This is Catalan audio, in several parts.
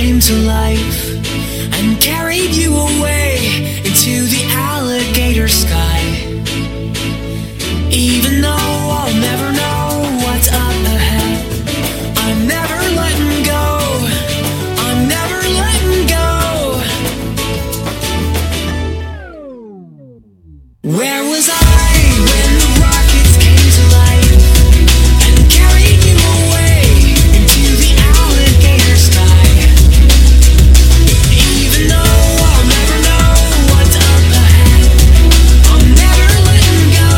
came to life and carried you away into the alligator sky. Even though I'll never know what's up ahead, I'm never letting go. I'm never letting go. Where was I when the rockets came to life and carried you away into the alligator sky? Even though I'll never know what's up ahead, I'm never letting go.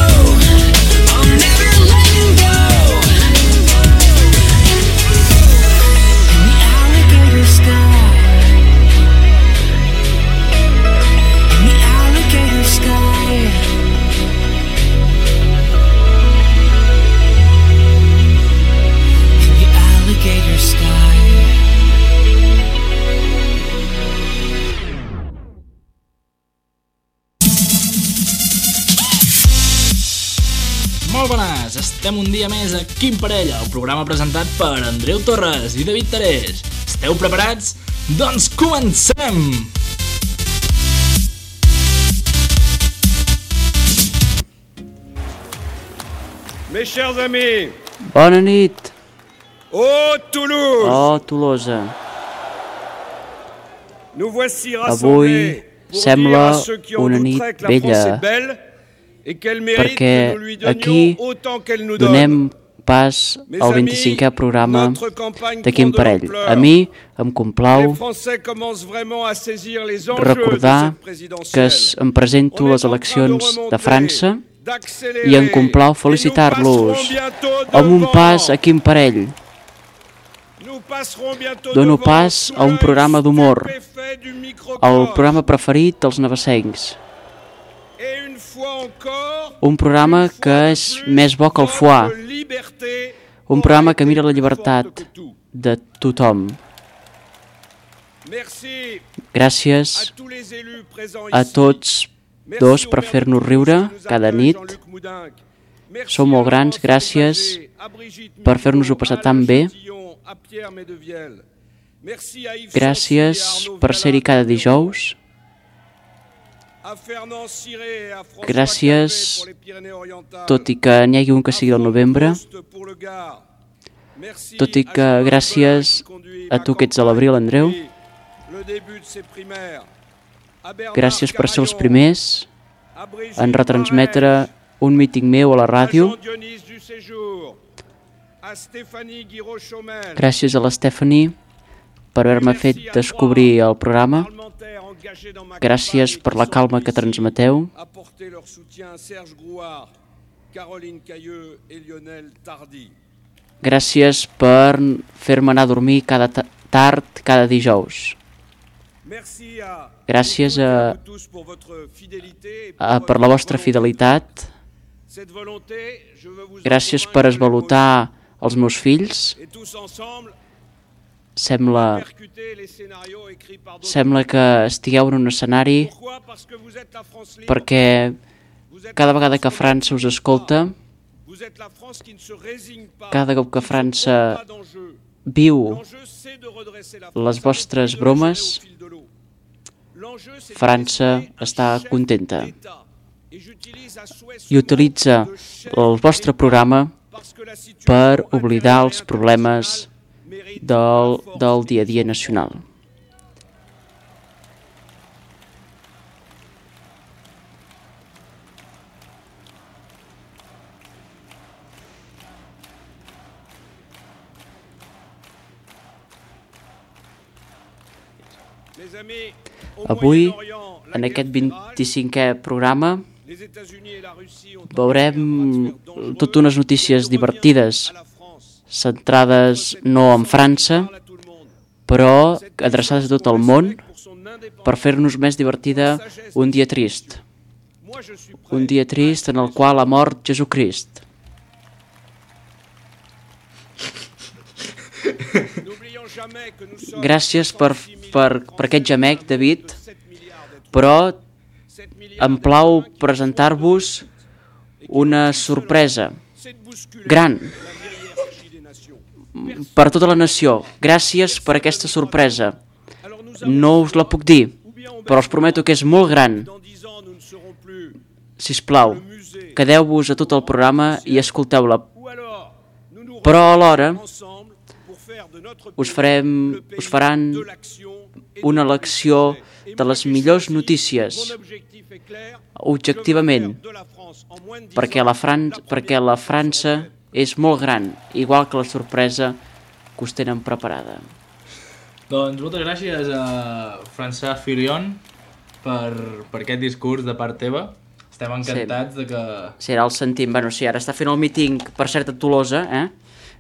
I'm never letting go. In the alligator sky. In the alligator sky. In the alligator sky. Molt bones, estem un dia més a Quim Parella, el programa presentat per Andreu Torres i David Terés. Esteu preparats? Doncs comencem! Mes chers amis, Bona nit, ô Toulouse, oh Tolosa. nous voici Avui rassemblés pour sembla dire à ceux qui en una douteraient nit que la France bella, est belle et qu'elle mérite perquè que nous lui aquí donnions autant qu'elle nous donne. donem pas Mes al amis, 25è programa notre campagne de prend Quim de Parell. l'ampleur. A mi em Les complau Français commencent vraiment à saisir les enjeux recordar de cette que présidentielle. em presento On a est les en train eleccions de de remonter, França d'accélérer, i em complau et nous felicitar-los passerons bientôt amb un devant. pas a Quim Parell. Nous passerons bientôt Dono devant pas sous a un l'œil programa d'humor, stupéfait du microcosme. el programa preferit dels navassencs. Et une fois encore, Un programa que és més bo que el foie, votre liberté un programa que aura mira la été plus llibertat forte que tout. de tothom. Merci Gràcies à tous les élus présents a ici. tots Merci dos au per maire fer-nos de riure Toulouse qui nous cada accueille, nit. Jean-Luc Moudinque. Merci Sou molt à grans, Laurence gràcies Berger, à Brigitte per Millot, fer-nos-ho passar à tan Alain bé. Chatillon, à Pierre Medevielle. Merci à Yves Gràcies Chancy, à Arnaud per ser-hi Vialin, cada dijous. à Fernand Ciré et à François Gràcies, Calvet pour les Pyrénées-Orientales. tot i que n'hi hagi un que sigui al novembre, Pour le Gard. Merci tot i à que Jean-Marc gràcies Collin qui conduit a ma tu que ets a campagne l'abril, Andreu. depuis le début de ses primaires. À Bernard Gràcies per ser els Carayon, primers à Brigitte en retransmetre Barrège, un míting meu a la à ràdio. Jean-Dionys du Séjour, à Stéphanie Guiraud-Chaumel, Gràcies a la Stephanie per haver-me fet descobrir el programa. parlementaires engagés dans ma Gràcies campagne per qui la sont calma que ici, transmeteu. apporter leur soutien à Serge Grouard, Caroline Cailleux et Lionel Tardy. Gràcies per fer-me anar a dormir tard cada dijous. Merci à Gràcies vous tous pour votre fidélité et pour per la votre vostra volonté. fidelitat. Cette volonté, je veux vous Gràcies en per convaincre esvalotar els meus fills. et tous ensemble Sembla percuter les scénarios écrits par d'autres. Sembla que estigueu en un escenari Pourquoi? Parce que vous êtes la France libre. perquè Vous êtes cada la vegada que France França us escolta, Vous êtes la France qui ne se résigne pas. cada cop que qui ne se França trompe pas d'enjeu. viu L'enjeu, c'est de redresser la les France vostres avec de la bromes, gelée au fil de l'eau. L'enjeu, c'est de França désigner un està chef contenta d'État. Et j'utilise à souhait ce i utilitza mot de chef el vostre d'État programa parce que la situation per oblidar intérieure els et problemes internationale mérite del, la force del dia a dia nacional. Mes amis, au Avui, Moyen-Orient, la en guerre aquest fait rage. 25è programa, Les États-Unis et la Russie ont veurem engagé un bras de fer dangereux totes unes notícies qui divertides, revient à la France. centrades no en França, Parle à tout le monde. però Cette adreçades a tot el puissance món progresse pour son indépendance. per fer-nos més divertida un dia trist. Moi, je suis prêt Un dia trist en el qual ha mort Jesucrist. N'oublions jamais que nous sommes Gràcies per 66 millions de aquest gemec, David, de 7 milliards d'êtres però 7 milliards em plau d'êtres qui presentar-vos una sorpresa c'est de bousculer gran la vieille hiérarchie des nations. per tota la nació. Gràcies per aquesta sorpresa. no us la puc dir, però us prometo que és molt gran. Sisplau, quedeu-vos a tot el programa i escolteu-la. Però alhora us faran una elecció de les millors notícies, objectivament, perquè la França és molt gran, igual que la sorpresa que us tenen preparada. Doncs moltes gràcies a François Fillon per aquest discurs de part teva. Estem encantats de que... Sí, ara el sentim. Bueno, sí, ara està fent el míting, per cert, a Tolosa,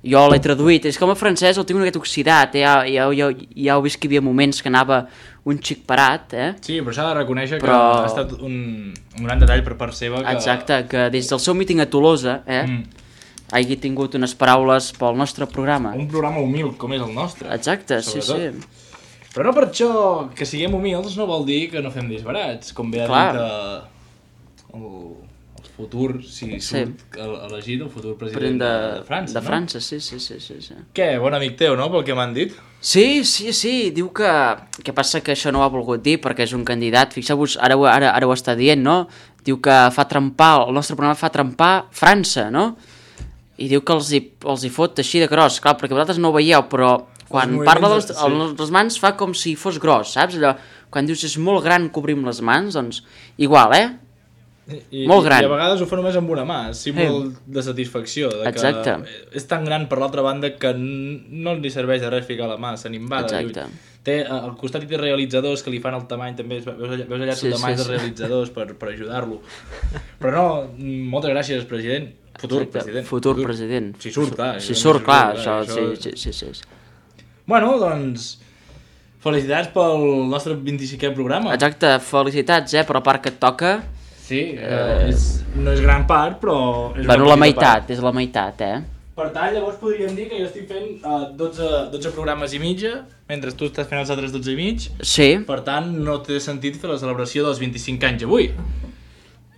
Jo l'he traduït. És que com a francès el tinc una miqueta oxidat, Ja heu vist que hi havia moments que anava un xic parat, Sí, però s'ha de reconèixer que ha estat un gran detall per part seva. Exacte, que des del seu míting a Tolosa, hagi tingut unes paraules pel nostre programa. Un programa humil com és el nostre. Exacte, sobretot. Sí. Però no per això que siguem humils no vol dir que no fem disbarats, com bé ha dit el futur, si surt elegit, el futur president de França, de França, sí. Què, bon amic teu, no?, pel que m'han dit? Sí, diu que... Què passa que això no ho ha volgut dir perquè és un candidat, fixeu-vos, ara ho està dient, no? Diu que el nostre programa fa trempar França, no? I diu que els hi fot així de gros, clar, perquè vosaltres no ho veieu, però quan parla de les mans fa com si fos gros, saps? Allò, quan dius és molt gran que obrim les mans, doncs igual, molt gran. I a vegades ho fa només amb una mà, símbol de satisfacció, de Exacte. Que és tan gran per l'altra banda que no li serveix de res ficar la mà, se n'imbada. Té, al costat hi té realitzadors que li fan el tamany, també veus allà tamanys de realitzadors per ajudar-lo. Però no, moltes gràcies, president. Futur president. Si surt, clar. Si surt, clar, això, sí. Bueno, doncs, felicitats pel nostre 25è programa. Exacte, felicitats, per la part que et toca. Sí, no és gran part, però... Bueno, la meitat, és la meitat, Per tant, llavors podríem dir que jo estic fent 12 programes i mitja, mentre tu estàs fent els altres 12 i mig. Sí. Per tant, no té sentit fer la celebració dels 25 anys avui.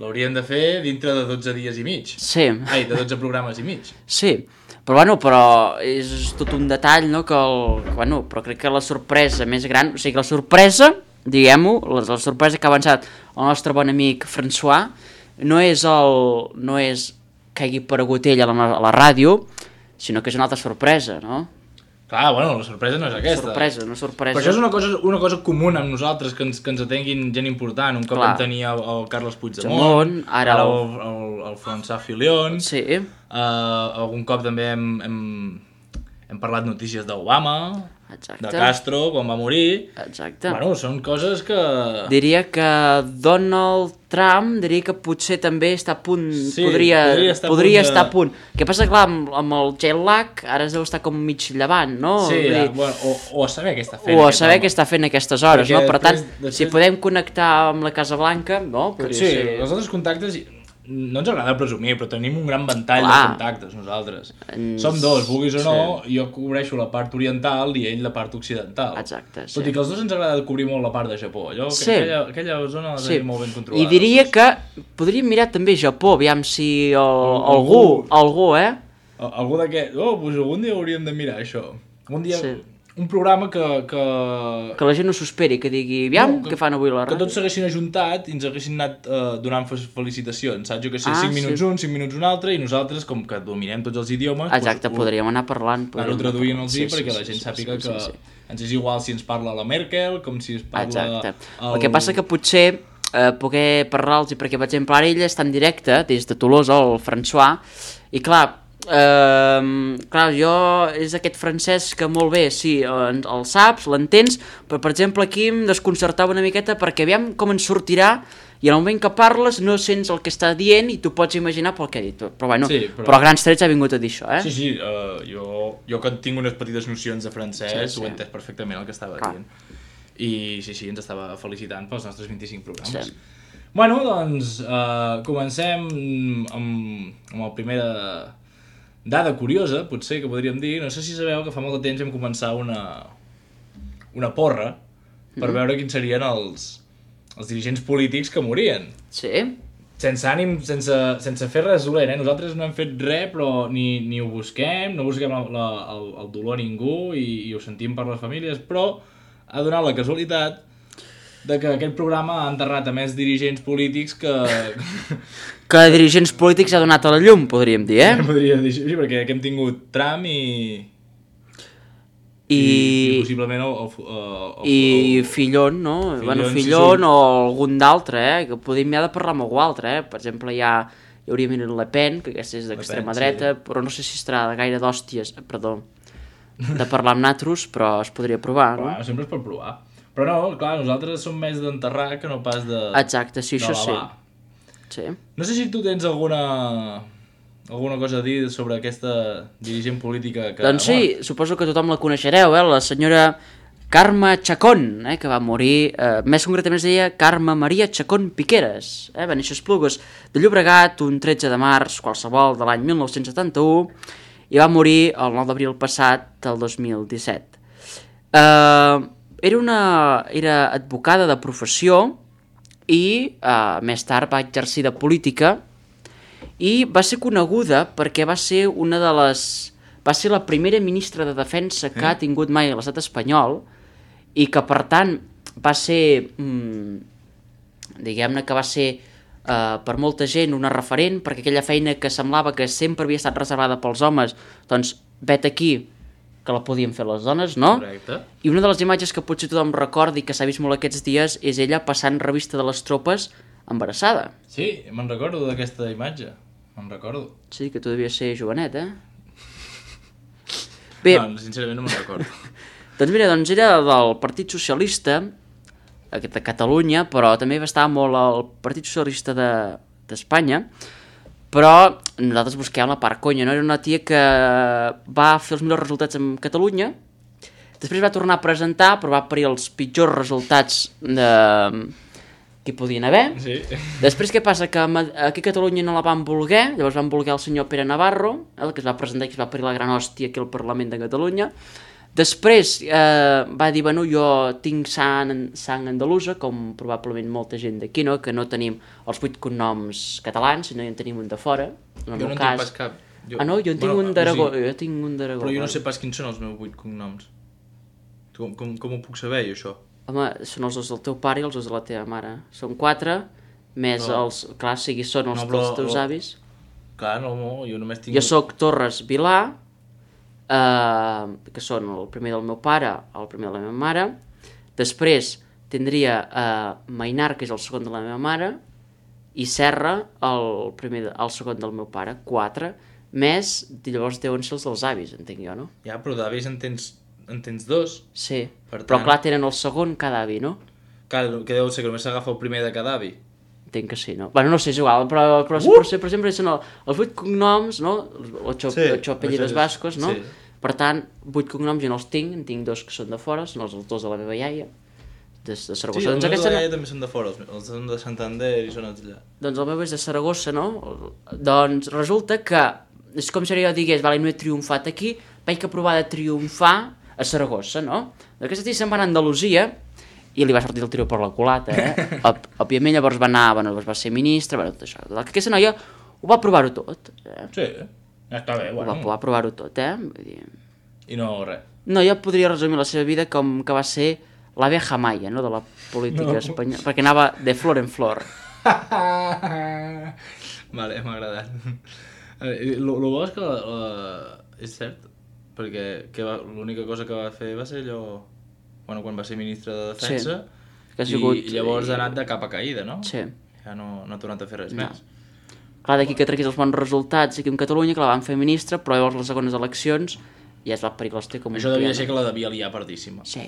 L'hauríem de fer dintre de 12 dies i mig. Sí. Ai, de 12 programes i mig. Sí, però és tot un detall, no? Però crec que la sorpresa més gran, o sigui que la sorpresa, diguem-ho, la sorpresa que ha avançat el nostre bon amic François, no és que hagi aparegut ell a la ràdio, sinó que és una altra sorpresa, no? Clar, bueno, la sorpresa no és aquesta. Una sorpresa. Però això és una cosa comuna amb nosaltres, que ens atenguin gent important. Un cop vam tenir el Carles Puigdemont, ara el François Fillon, sí. Algun cop també hem parlat notícies d'Obama, Exacte. De Castro, quan va morir. Exacte. Bueno, són coses que... Diria que Donald Trump, potser també està a punt, podria estar a punt. Què passa, clar, amb el jet lag, ara es deu estar com mig llevant, no? Sí, o a saber què està fent. O a saber què està fent aquestes hores, no? Per tant, si podem connectar amb la Casa Blanca, no? Sí, els altres contactes... No ens agrada presumir, però tenim un gran ventall de contactes nosaltres. Som dos, vulguis o no, jo cobreixo la part oriental i ell la part occidental. Exacte, sí. Tot i que els dos ens agrada cobrir molt la part de Japó. Aquella zona la tenim molt ben controlada. I diria que podríem mirar també Japó, aviam si algú, Algú de què? Doncs algun dia hauríem de mirar això. Un dia... Un programa que la gent no s'ho esperi, que digui, aviam, què fan avui a la ràdio? Que tots s'haguessin ajuntat i ens haguessin anat donant felicitacions, saps? Jo que sé, 5 minuts un, 5 minuts un altre, i nosaltres, com que dominem tots els idiomes... Exacte, podríem anar parlant. Anar-ho traduint-los perquè la gent sàpiga que ens és igual si ens parla la Merkel, com si es parla... Exacte. El que passa que potser poder parlar-los, perquè per exemple ara ell està en directe des de Tolosa, el François, i clar, jo és aquest francès que molt bé, sí, el saps, l'entens, però per exemple aquí em desconcertava una miqueta perquè aviam com ens sortirà i en el moment que parles no sents el que està dient i tu pots imaginar pel que ha dit, però bueno, però a grans trets ha vingut a dir això, Sí, jo que tinc unes petites nocions de francès ho he entès perfectament el que estava dient i sí, ens estava felicitant pels nostres 25 programes. Bueno, doncs comencem amb el primer dada curiosa, potser, que podríem dir. No sé si sabeu que fa molt de temps vam començar una porra per veure quins serien els dirigents polítics que morien. Sí. Sense ànim, sense fer res dolent, Nosaltres no hem fet res, però ni ho busquem, no busquem el dolor a ningú i ho sentim per les famílies, però ha donat la casualitat de que aquest programa ha enterrat a més dirigents polítics que... Que dirigents polítics ha donat a la llum, podríem dir, Podria dir, sí, perquè aquí hem tingut Trump i possiblement i Fillon, no? Fillon o algun d'altre, que podríem ja de parlar amb algú altre, Per exemple, hi hauria Le Pen, que aquesta és d'extrema dreta, però no sé si estarà de gaire d'hòsties, perdó, de parlar amb natros, però es podria provar, no? Clar, sempre es pot provar. Però no, clar, nosaltres som més d'enterrar que no pas de... Exacte, sí, això sí. Sí. No sé si tu tens alguna cosa a dir sobre aquesta dirigent política que... Doncs sí, suposo que tothom la coneixereu, la senyora Carme Chacón, que va morir, més concretament es deia Carme Maria Chacón Piqueras, va néixer a Esplugues de Llobregat un 13 de març qualsevol de l'any 1971 i va morir el 9 d'abril passat del 2017. Era advocada de professió i més tard va exercir de política i va ser coneguda perquè va ser va ser la primera ministra de Defensa que ha tingut mai a l'estat espanyol i que per tant va ser diguem-ne que va ser per molta gent una referent perquè aquella feina que semblava que sempre havia estat reservada pels homes, doncs vet aquí que la podien fer les dones, no? Correcte. I una de les imatges que potser tothom recordi que s'ha vist molt aquests dies és ella passant revista de les tropes embarassada. Sí, me'n recordo d'aquesta imatge, me'n recordo. Sí, que tu devies ser jovenet, Bé, no, sincerament no me'n recordo. doncs mira, era del Partit Socialista de Catalunya, però també va estar molt al Partit Socialista d'Espanya, però nosaltres busquem la part conya, no? Era una tia que va fer els millors resultats en Catalunya, després va tornar a presentar, però va parir els pitjors resultats que hi podien haver. Sí. Després què passa? Que aquí a Catalunya no la van voler, llavors van voler el senyor Pere Navarro, el que es va presentar i que es va parir la gran hòstia aquí al Parlament de Catalunya. Després va dir, bueno, jo tinc sang andalusa, com probablement molta gent d'aquí, no? Que no tenim els 8 cognoms catalans, sinó en tenim un de fora. Jo no en tinc pas cap. Jo en tinc un d'Aragó. Jo tinc un d'Aragó. Però jo no sé pas quins són els meus 8 cognoms. Com ho puc saber, jo, això? Home, són els del teu pare i els de la teva mare. Són 4, més els... Clar, són els dels teus avis. Clar, no, jo només tinc... Jo soc Torres Vilà, que són el primer del meu pare, el primer de la meva mare. Després tindria Mainar, que és el segon de la meva mare, i Serra, el segon del meu pare, 4, més, llavors deuen ser els dels avis, entenc jo, no? Ja, però d'avis en tens 2. Sí, però clar, tenen el segon cada avi, no? Clar, que deu ser que només s'agafa el primer de cada avi. Entenc que sí, no? Bueno, no sé, és igual, però per exemple, són els 8 cognoms, no? Els 8 apellidos bascos, no? Sí. Per tant, 8 cognoms jo no els tinc, en tinc 2 que són de fora, són els 2 de la meva iaia, de Saragossa. Sí, els meus de la iaia també són de fora, els són de Santander i són els allà. Doncs el meu és de Saragossa, no? Doncs resulta que, és com si jo digués, vale, no he triomfat aquí, vaig provar de triomfar a Saragossa, no? D'aquesta tia se'n va anar a Andalusia i li va sortir el tiro per la culata, Òbviament llavors va anar, va ser ministre, tot això. Aquesta noia ho va provar-ho tot. Sí, ja està bé, bueno. Va provar-ho tot, Vull dir... I no res. No, jo podria resumir la seva vida com que va ser l'abeja maia, no?, de la política espanyola, perquè anava de flor en flor. Vale, m'ha agradat. Lo bo és que és cert, perquè l'única cosa que va fer va ser allò... Bueno, quan va ser ministre de Defensa, sí, i llavors ha anat de capa caïda, no? Sí. Ja no ha tornat a fer res més. Clar, d'aquí que treguis els bons resultats aquí en Catalunya, que la van fer ministre, però llavors les segones eleccions ja es va parir l'hòstia com un Això devia ser que la devia liar pardíssima. Sí.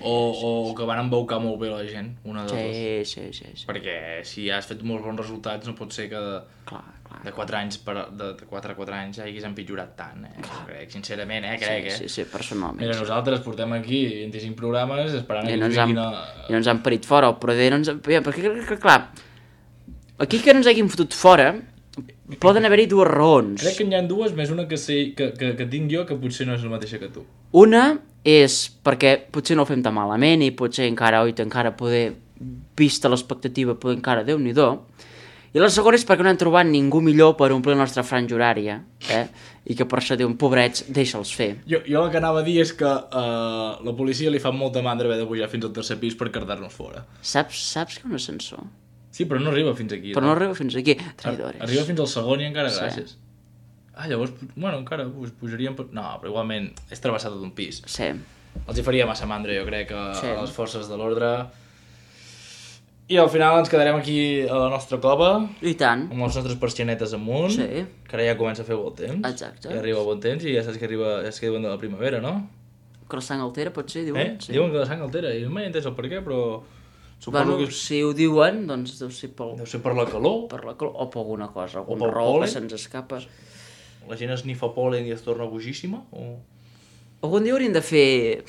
O que van embaucar molt bé la gent, una de dues. Sí. Perquè si has fet molts bons resultats no pot ser que de 4 anys de 4 a 4 anys ja hagués empitjorat tant, Crec, sincerament, crec, Sí, personalment. Mira, nosaltres portem aquí 25 programes esperant que ens vinguin i no ens han parit fora, però no ens... Perquè, clar, aquí que no ens hagin fotut fora poden haver-hi 2 raons. Crec que n'hi ha 2, més una que tinc jo, que potser no és la mateixa que tu. Una és perquè potser no ho fem tan malament i potser encara poder, vista l'expectativa, poder encara Déu-n'hi-do. I la segona és perquè no han trobat ningú millor per omplir la nostra franja horària, i que per això diuen, pobrets, deixa'ls fer. Jo el que anava a dir és que la policia li fa molta mandra haver de pujar fins al tercer pis per cardar-nos fora. Saps que un ascensor? Sí, però no arriba fins aquí. Però no arriba fins aquí. Traïdores. Arriba fins al segon i encara gràcies. Llavors, bueno, encara pujaríem... No, però igualment és travessar tot un pis. Sí. Els hi faria massa mandra, jo crec, a les forces de l'ordre. I al final ens quedarem aquí a la nostra cova. I tant. Amb les nostres persianetes amunt. Sí. Que ara ja comença a fer bon temps. Exacte. Ja arriba bon temps i ja saps que diuen de la primavera, no? Que la sang altera, pot ser, diuen. Sí. Diuen que la sang altera. I no m'he entès el per què, però... Bueno, si ho diuen, doncs deu ser per la calor. Per la calor, o per alguna cosa, alguna raó que se'ns escapa. La gent esnifa pol·len i es torna bojíssima? Algun dia hauríem de fer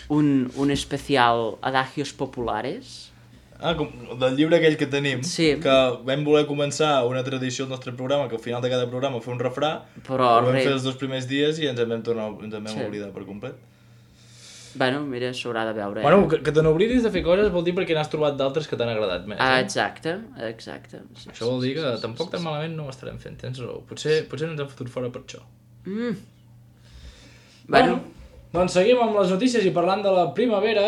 un especial Adagios Populares. Com del llibre aquell que tenim, sí. Que vam voler començar una tradició al nostre programa, que al final de cada programa fer un refrà, però ho vam fer els 2 primers dies i ens en vam oblidar per complet. Bueno, mira, s'haurà de veure. Bueno, que te n'oblidis de fer coses vol dir perquè n'has trobat d'altres que t'han agradat més. Exacte. Sí, això vol dir que tampoc tan malament no ho estarem fent, tens raó. Potser no ens hem fotut fora per això. Bueno, doncs seguim amb les notícies i parlant de la primavera.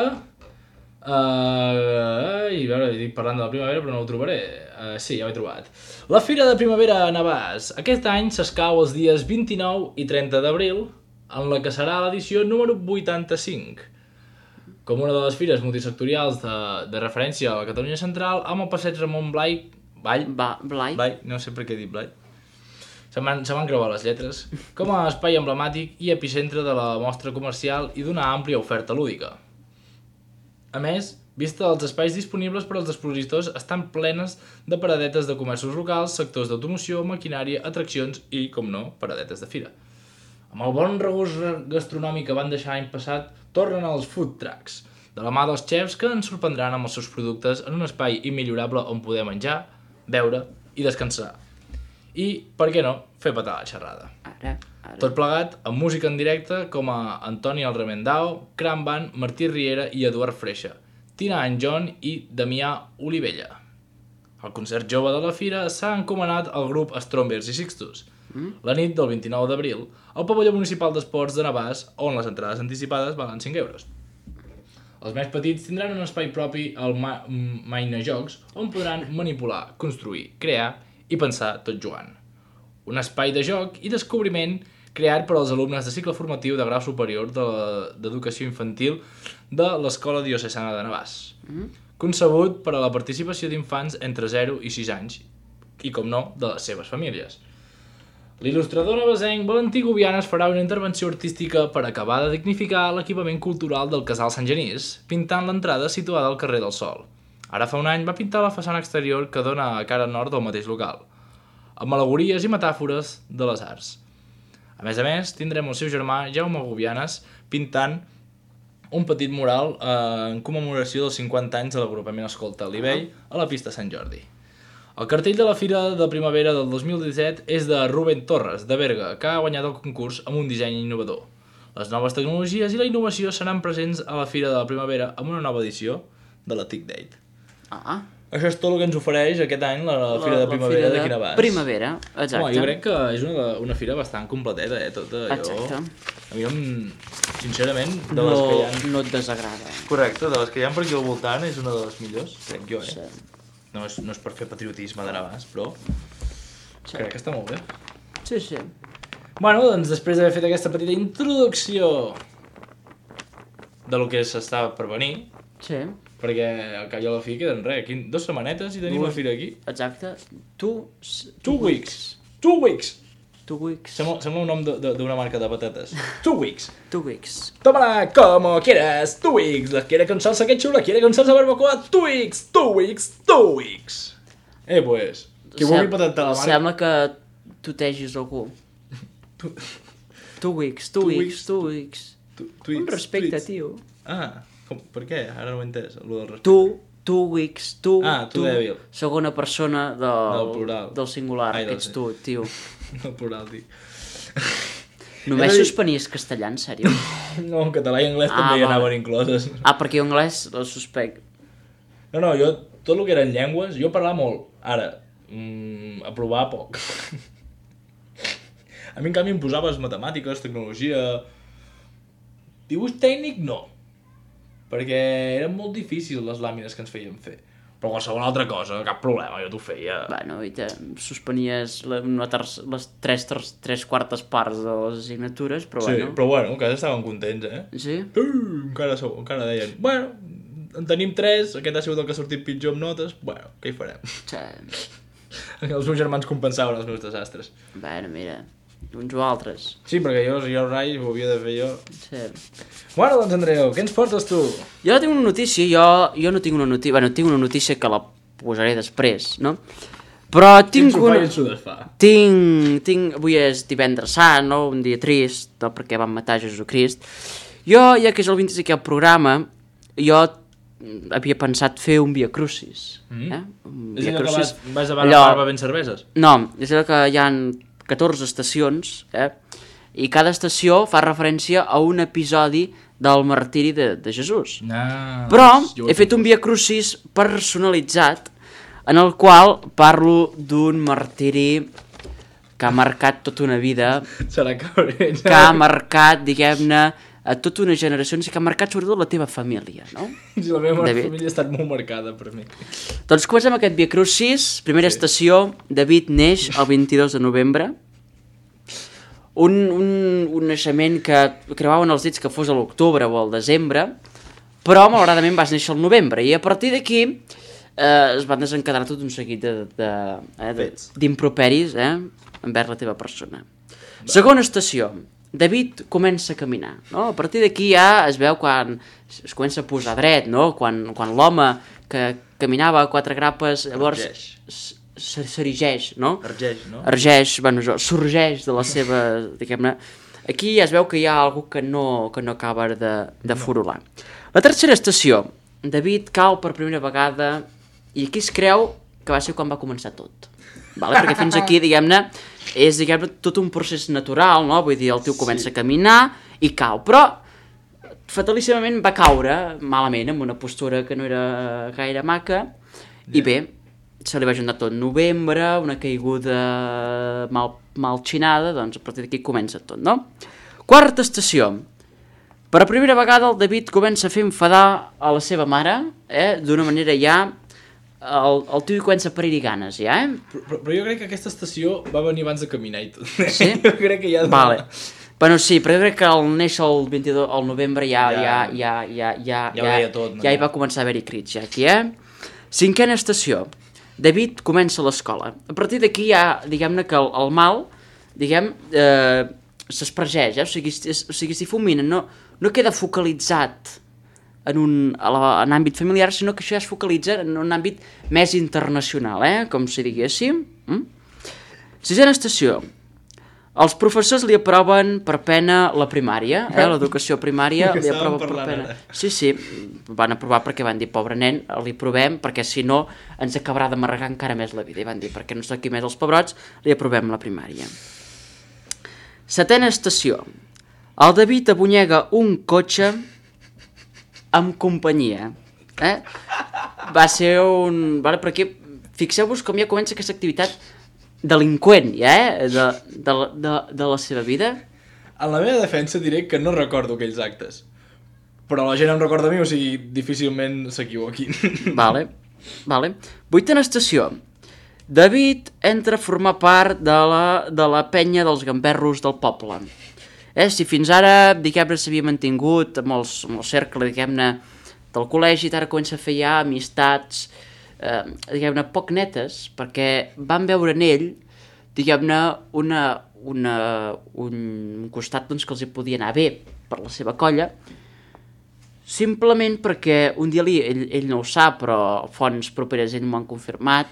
I a veure, dic parlant de la primavera però no ho trobaré. Sí, ja ho he trobat. La Fira de Primavera a Navàs. Aquest any s'escau els dies 29 i 30 d'abril, en la que serà l'edició número 85. Com una de les fires multisectorials de referència a la Catalunya Central, amb el passeig Ramon Blai, no sé per què he dit Blai, se m'han creuat les lletres, com a espai emblemàtic i epicentre de la mostra comercial i d'una àmplia oferta lúdica. A més, vista dels espais disponibles per als expositors estan plenes de paradetes de comerços locals, sectors d'automoció, maquinària, atraccions i, com no, paradetes de fira. Amb el bon regust gastronòmic que van deixar l'any passat, tornen els food trucks, de la mà dels xefs que ens sorprendran amb els seus productes en un espai immillorable on poder menjar, beure i descansar. I, per què no, fer petar la xerrada. Ara. Tot plegat amb música en directe com a Antoni el Remendao, Cram Band, Martí Riera i Eduard Freixa, Tina and John i Damià Olivella. El concert jove de la fira s'ha encomanat al grup Strombers i Sixtus. La nit del 29 d'abril, al pavelló municipal d'esports de Navàs, on les entrades anticipades valen 5 euros. Els més petits tindran un espai propi al Maina Jocs, on podran manipular, construir, crear i pensar tot jugant. Un espai de joc i descobriment creat per als alumnes de cicle formatiu de grau superior d'educació infantil de l'Escola Diocesana de Navàs. Concebut per a la participació d'infants entre 0 i 6 anys i, com no, de les seves famílies. L'il·lustrador navasenc Valentí Gubianes farà una intervenció artística per acabar de dignificar l'equipament cultural del Casal Sant Genís, pintant l'entrada situada al carrer del Sol. Ara fa un any va pintar la façana exterior que dona a cara nord del mateix local, amb al·legories i metàfores de les arts. A més, tindrem el seu germà Jaume Gubianes pintant un petit mural en commemoració dels 50 anys de l'agrupament Escolta Libell a la pista Sant Jordi. El cartell de la Fira de Primavera del 2017 és de Rubén Torres, de Berga, que ha guanyat el concurs amb un disseny innovador. Les noves tecnologies i la innovació seran presents a la Fira de la Primavera amb una nova edició de la TIC Date. Això és tot el que ens ofereix aquest any la Fira de Primavera d'aquí a Navàs. Primavera, exacte. Jo crec que és una fira bastant completeta, tota. Exacte. A mi, sincerament, de les que hi ha... No et desagrada. Correcte, de les que hi ha per aquí al voltant és una de les millors, crec jo, Sí. No és per fer patriotisme de Navàs, però crec que està molt bé. Sí. Bueno, doncs després d'haver fet aquesta petita introducció de lo que s'estava per venir, perquè al cap i a la fi queden res, aquí 2 setmanetes i tenim la fira aquí. Exacte. Two weeks. Sembla un nom d'una marca de patates. 2 weeks. Tómala como quieras. 2 weeks. La quiere con salsa ketchup, la quiere con salsa barbacoa. 2 weeks. Pues, qui vulgui patentar la marca... Sembla que tutegis algú. 2 weeks. Un respecte, tio. Per què? Ara no ho he entès, allò del respecte. 2 weeks, tu dèbil. Segona persona del plural. Del singular, que ets tu, tio. Del plural, tio. Només suspenies castellà, en sèrio? No, en català i anglès també hi anaven incloses. Perquè anglès el suspec. No, jo, tot el que eren llengües, jo parlava molt. Ara, aprovar poc. A mi, en canvi, em posaves matemàtiques, tecnologia... Dibuix tècnic, no. Perquè eren molt difícils les làmines que ens feien fer. Però qualsevol altra cosa, cap problema, jo t'ho feia. Bueno, i te suspenies les tres quartes parts de les assignatures, però Sí, bueno... però bueno, encara estaven contents, eh? Sí? Encara deien, bueno, en tenim 3, aquest ha sigut el que ha sortit pitjor amb notes, bueno, què hi farem? Sí. Els meus germans compensaven els meus desastres. Bueno, mira, uns o altres. Sí, perquè jo el Rai ho havia de fer jo. Sí. Bueno, doncs, Andreu, què ens portes tu? Jo tinc una notícia, jo no tinc una notícia... Bueno, tinc una notícia que la posaré després, no? Però tinc una... Quin s'ho desfà? Tinc... Avui és divendres sant, no? Un dia trist, no? Perquè van matar Jesucrist. Jo, ja que és el 25è programa, jo havia pensat fer un Via Crucis. Un És Via allò que Crucis. vas davant la barba ben cerveses? No, és allò que hi ha 14 estacions, i cada estació fa referència a un episodi del martiri de Jesús. Però he fet un Via Crucis personalitzat en el qual parlo d'un martiri que ha marcat tota una vida, Serà cabret. que ha marcat, diguem-ne, a tota una generació i que ha marcat sobretot la teva família, no? Sí, la meva David. família ha estat molt marcada per mi. Doncs comencem aquest Via Crucis, primera estació, David neix el 22 de novembre, un naixement que creuaven els dits que fos a l'octubre o al desembre, però malauradament vas néixer al novembre, i a partir d'aquí es van desencadenar tot un seguit d'improperis envers la teva persona. Segona estació, David comença a caminar, no? A partir d'aquí ja es veu quan es comença a posar dret, no? Quan l'home que caminava a 4 grapes llavors s'erigeix, no? Ergeix, bueno, sorgeix de la seva, diguem-ne. Aquí ja es veu que hi ha algú que no acaba de furular. La tercera estació, David cau per primera vegada i aquí es creu que va ser quan va començar tot. Vale? Perquè fins aquí, diguem-ne, és tot un procés natural, no? Vull dir, el tio comença a caminar i cau, però fatalíssimament va caure malament, amb una postura que no era gaire maca, i bé, se li va juntar tot novembre, una caiguda mal xinada, doncs a partir d'aquí comença tot, no? Quarta estació. Per primera vegada el David comença a fer enfadar a la seva mare, d'una manera ja... El tio comença a parir-hi ganes, ja, Però jo crec que aquesta estació va venir abans de caminar i tot. Sí? Jo crec que ja... Vale. Bueno, sí, però jo crec que al néixer el 22 al novembre ja veia tot, no? Ja hi va començar a haver-hi crits, ja, aquí, Cinquena estació. David comença l'escola. A partir d'aquí ja, diguem-ne que el mal, s'espargeix, o sigui, es difumina, no queda focalitzat en àmbit familiar, sinó que això ja es focalitza en un àmbit més internacional, com si diguéssim. Sisena estació. Els professors li aproven per pena la primària, l'educació primària li aproven per pena. Sí, van aprovar perquè van dir, pobre nen, li aprovem perquè si no ens acabarà d'amarregar encara més la vida. I van dir, perquè no s'aquí més els pebrots, li aprovem la primària. Setena estació. El David abunyega un cotxe amb companyia. Va ser un... Vale, però aquí, fixeu-vos com ja comença aquesta activitat delinqüent, de la seva vida. En la meva defensa diré que no recordo aquells actes. Però la gent em recorda a mi, o sigui, difícilment s'equivoquin. Vale. Vuitena estació. David entra a formar part de la penya dels gamberros del poble. Si fins ara, diguem-ne, s'havia mantingut amb el cercle, diguem-ne, del col·legi, ara comença a fer ja amistats, diguem-ne, poc netes, perquè van veure en ell, diguem-ne, un costat doncs, que els hi podia anar bé per la seva colla, simplement perquè un dia ell no ho sap, però fonts properes ell m'ho han confirmat,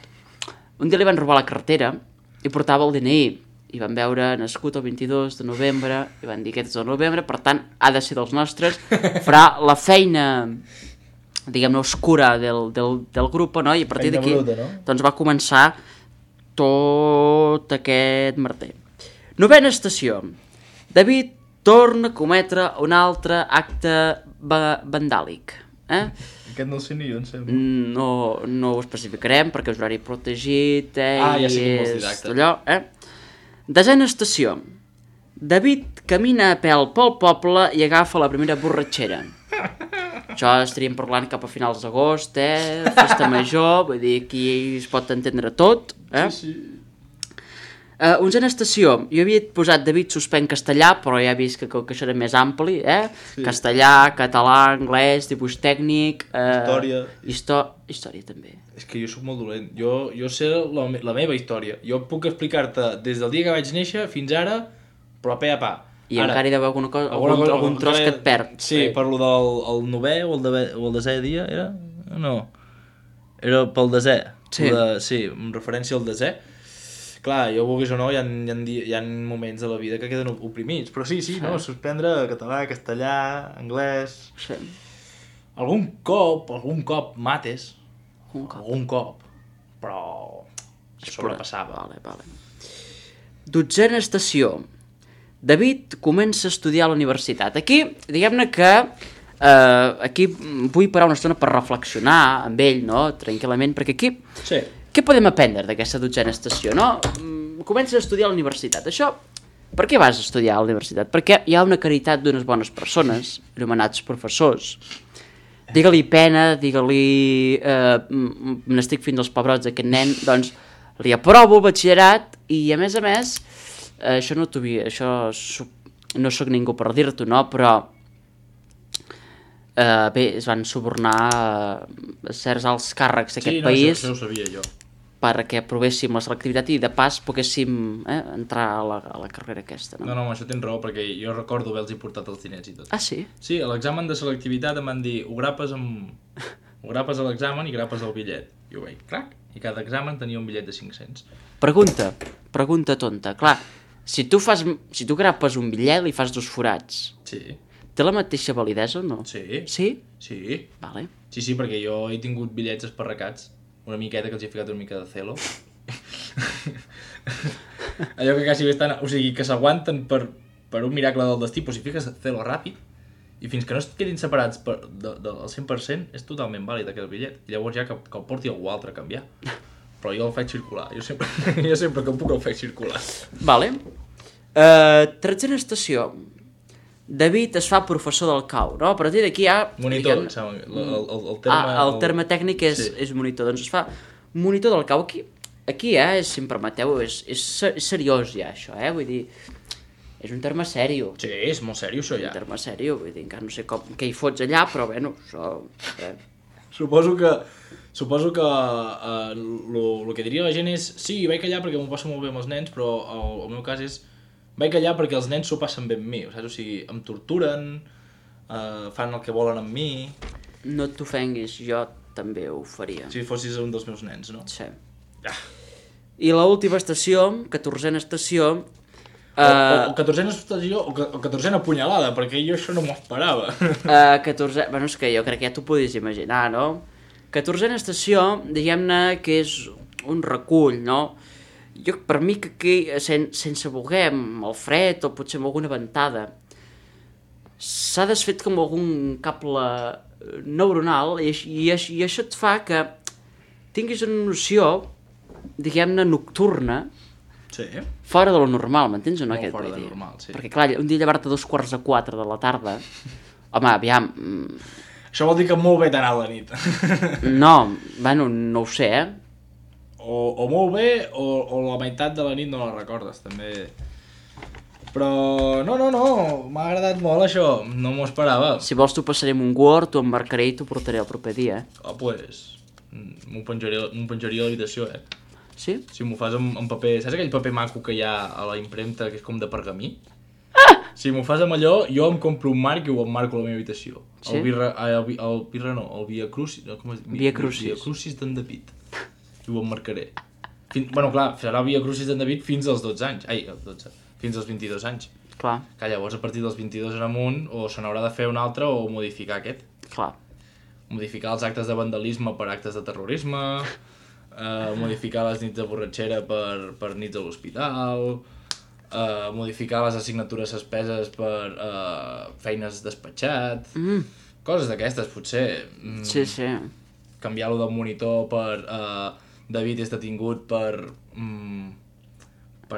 un dia li van robar la cartera i portava el DNI, i van veure nascut el 22 de novembre, i van dir aquest és el novembre, per tant, ha de ser dels nostres, farà la feina, diguem-ne, oscura del grup, no? I a partir d'aquí doncs va començar tot aquest merder. Novena estació. David torna a cometre un altre acte vandàlic. Aquest no el sé ni jo, em sembla. No ho especificarem perquè és horari protegit, Ja sé i quin vols dir, és exacte. allò, Desena estació. David camina a pèl pel poble i agafa la primera borratxera. Això estaríem parlant cap a finals d'agost, festa major, vull dir, aquí es pot entendre tot, Sí. Onzena estació. Jo havia posat David suspèn castellà, però ja he vist que això era més ampli, Sí. Castellà, català, anglès, dibuix tècnic... Història. Història també. És que jo sóc molt dolent. Jo sé la meva història. Jo puc explicar-te des del dia que vaig néixer fins ara, però a pe a pa. I encara hi deu haver algun tros que et perd. Sí, per lo del 9è o el 10è dia, era? No. Era pel 10è. Sí, en referència al 10è. Clar, jo vulguis o no, hi ha moments de la vida que queden oprimits. Però sí, no, suspendre català, castellà, anglès... Sí. Algun cop mates. Algun cop. Però sobrepassava. Vale. Dotzena estació. David comença a estudiar a la universitat. Aquí, diguem-ne que aquí vull parar una estona per reflexionar amb ell, no? Tranquil·lament, perquè aquí... Sí. Què podem aprendre d'aquesta dotzena estació, no? Comences a estudiar a la universitat. Això, per què vas a estudiar a la universitat? Perquè hi ha una caritat d'unes bones persones, anomenats professors. Digue-li pena, digue-li n'estic fins als pebrots d'aquest nen, doncs li aprovo el batxillerat i a més, això no sóc ningú per dir-t'ho, no? Però bé, es van subornar certs alts càrrecs d'aquest país. Sí, no, això ho sabia jo. Perquè aprovéssim la selectivitat i de pas poguéssim entrar a la carrera aquesta, no? No, això tens raó, perquè jo recordo haver-los portat els diners i tot. Ah, sí? Sí, a l'examen de selectivitat em van dir ho grapes a l'examen i grapes el bitllet. I ho vaig, crac, i cada examen tenia un bitllet de 500. Pregunta tonta. Clar, si tu grapes un bitllet li fas 2 forats. Sí. Té la mateixa validesa o no? Sí. Sí? Sí. Vale. Sí, perquè jo he tingut bitllets esparracats, una miqueta que els he ficat una mica de celo. Allò que quasi bé estan... O sigui, que s'aguanten per un miracle del destí, però si fiques celo ràpid, i fins que no es quedin separats del 100%, és totalment vàlid aquell bitllet. I llavors ja que el porti algú altre a canviar. Però jo el faig circular. Jo sempre que puc el faig circular. Vale. Tretzena estació. David es fa professor del cau, no? A partir d'aquí ja... Monitor, el terme... el terme tècnic és monitor, doncs es fa monitor del cau. Aquí si em permeteu, és seriós ja això, vull dir, és un terme sèrio. Sí, és molt sèrio això ja. Un terme sèrio, vull dir, encara no sé què hi fots allà, però bueno, això... Suposo que el que diria la gent és sí, vaig allà perquè m'ho passo molt bé amb els nens, però el meu cas és vaig allà perquè els nens s'ho passen bé amb mi, saps? O sigui, em torturen, fan el que volen amb mi... No t'ofenguis, jo també ho faria. Si fossis un dels meus nens, no? Sí. I l'última estació, 14a estació... O 14a estació o 14a punyalada, perquè jo això no m'ho esperava. 14... Bueno, és que jo crec que ja t'ho podies imaginar, no? 14a estació, diguem-ne que és un recull, no? Per mi que aquí, sense voler, amb el fred o potser amb alguna ventada, s'ha desfet com algun cable neuronal i això et fa que tinguis una noció, diguem-ne, nocturna, sí. Fora de lo normal, m'entens o no? Molt fora de normal, sí. Perquè clar, un dia llevar-te a 3:45 de la tarda, home, aviam... Això vol dir que molt bé t'ha anat la nit. No, bueno, no ho sé, O molt bé, o la meitat de la nit no la recordes, també. Però no, m'ha agradat molt això, no m'ho esperava. Si vols t'ho passarem un Word, t'ho emmarcaré i t'ho portaré el proper dia, Pues, m'ho penjaria a l'habitació, Sí? Si m'ho fas en paper... Saps aquell paper maco que hi ha a la impremta, que és com de pergamí? Si m'ho fas amb allò, jo em compro un marc i ho emmarco a la meva habitació. Sí? El Via Crucis... Via Crucis. Via Crucis d'en David. I ho emmarcaré. Bueno, clar, serà Via Crucis d'en David fins als 12 anys. Ai, 12. Fins als 22 anys. Clar. Que llavors a partir dels 22 en amunt o se n'haurà de fer un altre o modificar aquest. Clar. Modificar els actes de vandalisme per actes de terrorisme, modificar les nits de borratxera per nits a l'hospital, modificar les assignatures suspeses per feines despatxat, Coses d'aquestes, potser. Sí, sí. Canviar-lo del monitor per... David és detingut per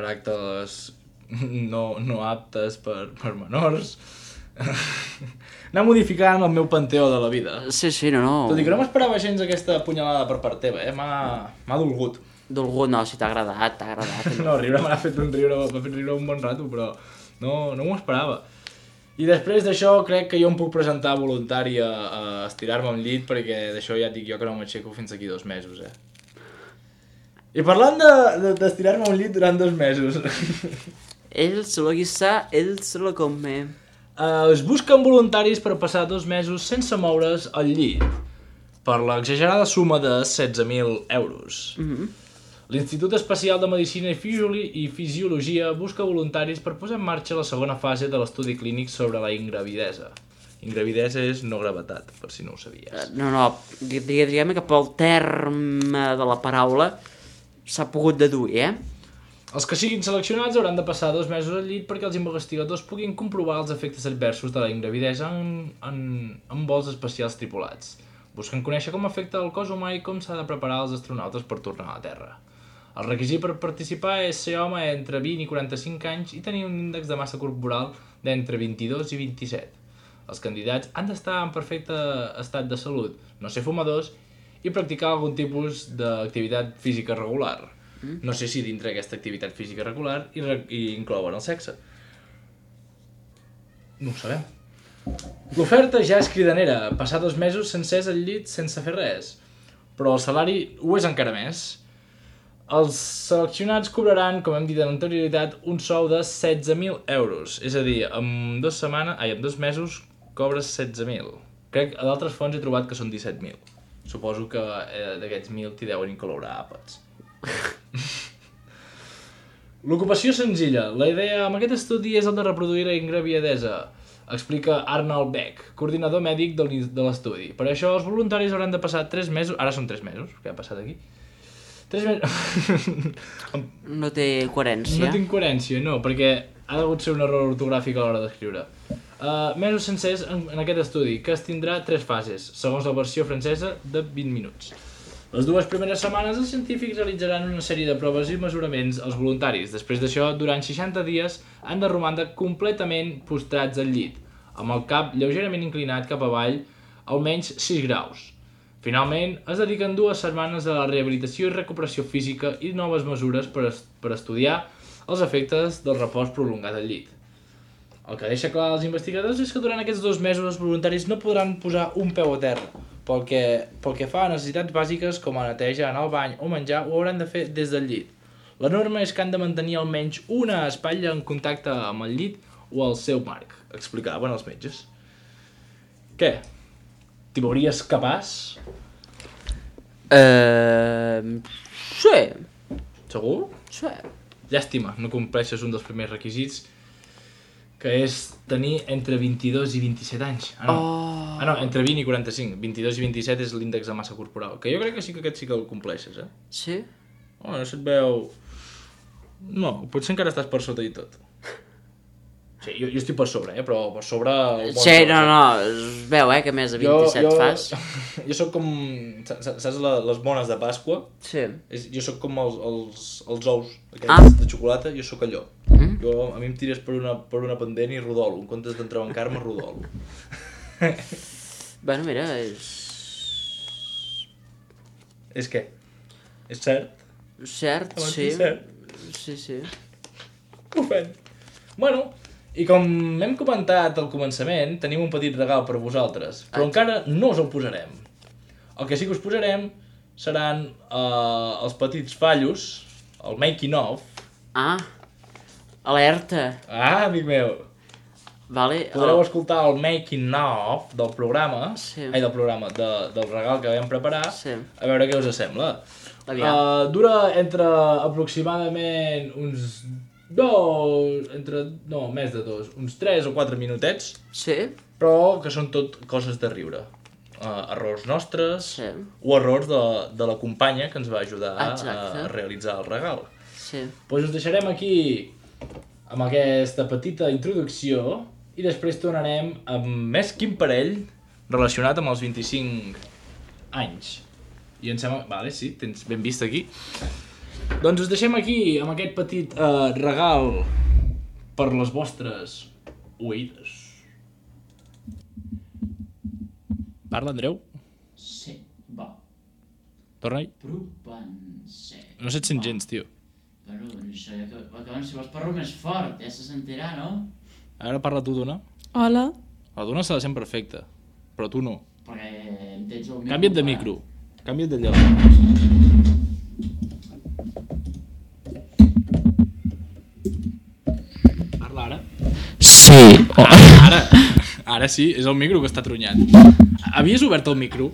actes no aptes per menors. Anar modificant el meu panteó de la vida. Sí, no. Tot i que no m'esperava gens aquesta punyalada per part teva, m'ha dolgut. Dolgut, no, si t'ha agradat. No, riure m'ha fet riure un bon rato, però no m'ho esperava. I després d'això crec que jo em puc presentar voluntari a estirar-me al llit, perquè d'això ja et dic jo que no m'aixeco fins aquí 2 mesos, I parlant d'estirar-me al llit durant 2 mesos... Ell se lo guissa, ell se lo come. Es busquen voluntaris per passar 2 mesos sense moure's al llit, per l'exagerada suma de 16.000 euros. L'Institut Especial de Medicina i Fisiologia busca voluntaris per posar en marxa la segona fase de l'estudi clínic sobre la ingravidesa. Ingravidesa és no gravetat, per si no ho sabies. No, diguem que pel terme de la paraula s'ha pogut deduir, Els que siguin seleccionats hauran de passar 2 mesos al llit perquè els investigadors puguin comprovar els efectes adversos de la ingravidesa en vols espacials tripulats. Busquen conèixer com afecta el cos humà i com s'ha de preparar els astronautes per tornar a la Terra. El requisit per participar és ser home entre 20 i 45 anys i tenir un índex de massa corporal d'entre 22 i 27. Els candidats han d'estar en perfecte estat de salut, no ser fumadors i practicar algun tipus d'activitat física regular. No sé si dintre aquesta activitat física regular hi inclouen el sexe. No ho sabem. L'oferta ja és cridanera, passar 2 mesos sencers al llit sense fer res. Però el salari ho és encara més. Els seleccionats cobraran, com hem dit en anterioritat, un sou de 16.000 euros. És a dir, en 2 mesos cobres 16.000. Crec que a d'altres fonts he trobat que són 17.000. Suposo que d'aquests 1.000 t'hi deuen incloure àpats. L'ocupació senzilla. La idea amb aquest estudi és el de reproduir la ingravidesa, explica Arnold Beck, coordinador mèdic de l'estudi. Per això els voluntaris hauran de passar 3 mesos... Ara són 3 mesos, què ha passat aquí? 3 mesos... No té coherència. No tinc coherència, no, perquè ha degut ser un error ortogràfic a l'hora d'escriure. Mesos sencers en aquest estudi, que es tindrà 3 fases, segons la versió francesa, de 20 minuts. Les 2 primeres setmanes els científics realitzaran una sèrie de proves i mesuraments als voluntaris. Després d'això, durant 60 dies, han de romandre completament postrats al llit, amb el cap lleugerament inclinat cap avall, almenys 6 graus. Finalment, es dediquen 2 setmanes a la rehabilitació i recuperació física i noves mesures per estudiar els efectes del repòs prolongat al llit. El que deixa clar als investigadors és que durant aquests 2 mesos els voluntaris no podran posar un peu a terra, pel que fa a necessitats bàsiques com a neteja, anar al bany o menjar, ho hauran de fer des del llit. La norma és que han de mantenir almenys una espatlla en contacte amb el llit o el seu marc, explicaven els metges. Què? T'hi veuries capaç? Sí. Segur? Sí. Llàstima, no compleixes un dels primers requisits, que és tenir entre 22 i 27 anys. No, entre 20 i 45. 22 i 27 és l'índex de massa corporal, que jo crec que aquest sí que el compleixes, Sí? No se't veu... No, potser encara estàs per sota i tot. Sí, jo estic per sobre, però per sobre... Sí, no, es veu, que més de 27 fas. Jo sóc com... Saps les bones de Pasqua? Sí. Jo sóc com els ous aquells de xocolata, jo sóc allò. A mi em tires per una pendent i rodolo. En comptes d'entrebancar-me, rodolo. Bueno, mira, És què? És cert? Cert, sí. Cert? Sí. Ho fem. Bueno, i com hem comentat al començament, tenim un petit regal per vosaltres, però encara no us el posarem. El que sí que us posarem seran els petits fallos, el making of. Alerta. Amic meu. Vale. Podreu escoltar el making of del programa, del regal que vam preparar, a veure què us sembla. Dura entre aproximadament uns uns 3 o 4 minutets, però que són tot coses de riure. Errors nostres o errors de la companya que ens va ajudar a realitzar el regal. Doncs us deixarem aquí amb aquesta petita introducció i després tornarem amb més quin parell relacionat amb els 25 anys. I em sembla... Vale, sí, tens ben vist aquí. Doncs us deixem aquí amb aquest petit regal per les vostres oïdes. Parla, Andreu? Sí, va. Torna-hi. Propense. No se't sent gens, tio. Però això, si vols parlo més fort, ja se sentirà, no? Ara parla tu, Duna. Hola. La Duna se la sent perfecta, però tu no. Perquè em tens el micro. Canvia't de micro. Canvia't de lloc. Parla ara. Sí. Ara sí, és el micro que està tronyat. Havies obert el micro?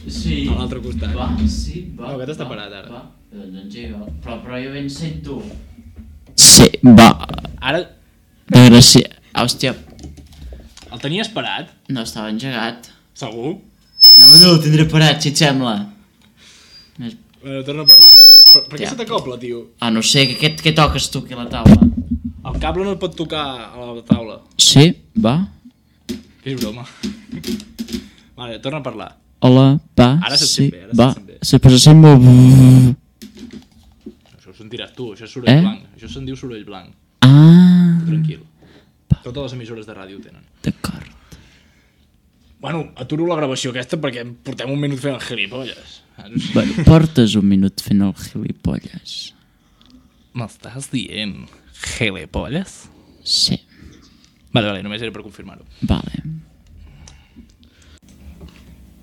Sí. A l'altre costat. Va, sí, va. No, aquest està parat, ara. Va, doncs sí, va. Però jo ben sento. Sí, va. Ara Gràcies. Hòstia, el tenies parat? no estava engegat. Segur? No, el tindré parat, si et sembla. Bueno, torna a parlar. Per què se t'acopla, tio? Ah, no sé, què toques tu aquí a la taula? El cable no et pot tocar a la taula. Sí, va. Que és broma. Vale, torna a parlar. Hola, va, Ara se't sí, sent bé, ara va. se't sent bé. Però se sent molt... Això ho sentiràs tu, això és soroll blanc. Això se'n diu soroll blanc. Ah, Tranquil. Totes les emissores de ràdio ho tenen. d'acord. Bueno, aturo la gravació aquesta perquè portem un minut fent el gilipolles. Bueno, portes un minut fent el gilipolles. M'estàs dient gilipolles? Sí, Vale, només era per confirmar-ho. vale.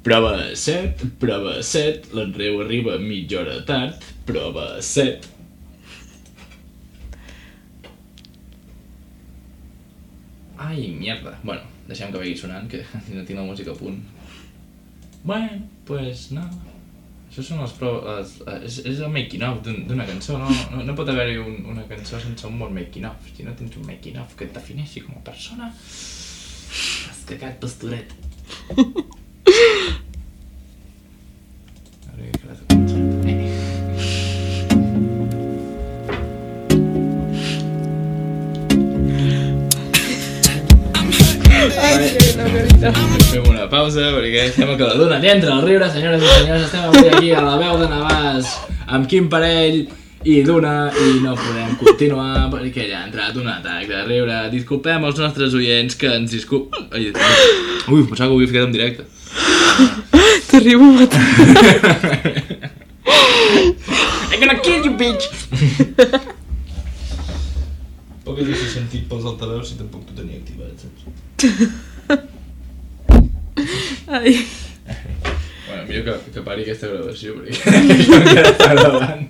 Prova 7, l'Andreu arriba mitja hora tard, prova 7. Ai, mierda. Bueno, deixem que vagi sonant, que no tinc la música a punt. Bueno, pues no. Això són les proves... És el making of d'una cançó, no? No pot haver-hi una cançó sense un bon making of. Si no tens un making of que et defineixi com a persona... Has cagat, pastoret. Ara que la cançó. Fem una pausa perquè sembla que la Duna li entra al riure, senyores i senyors. Estem avui aquí a la veu de Navàs amb Quim Parell i Duna i no podem continuar perquè ja ha entrat un atac de riure. Disculpem als nostres oients que ens Ui, pensava que ho havia ficat en directe. T'arribo a matar. I'm gonna kill you, bitch! Poc he deixat sentit pels altaveus si tampoc t'ho tenia activat, saps? Ai. Bueno, millor que pari aquesta gravació perquè això encara està gravant.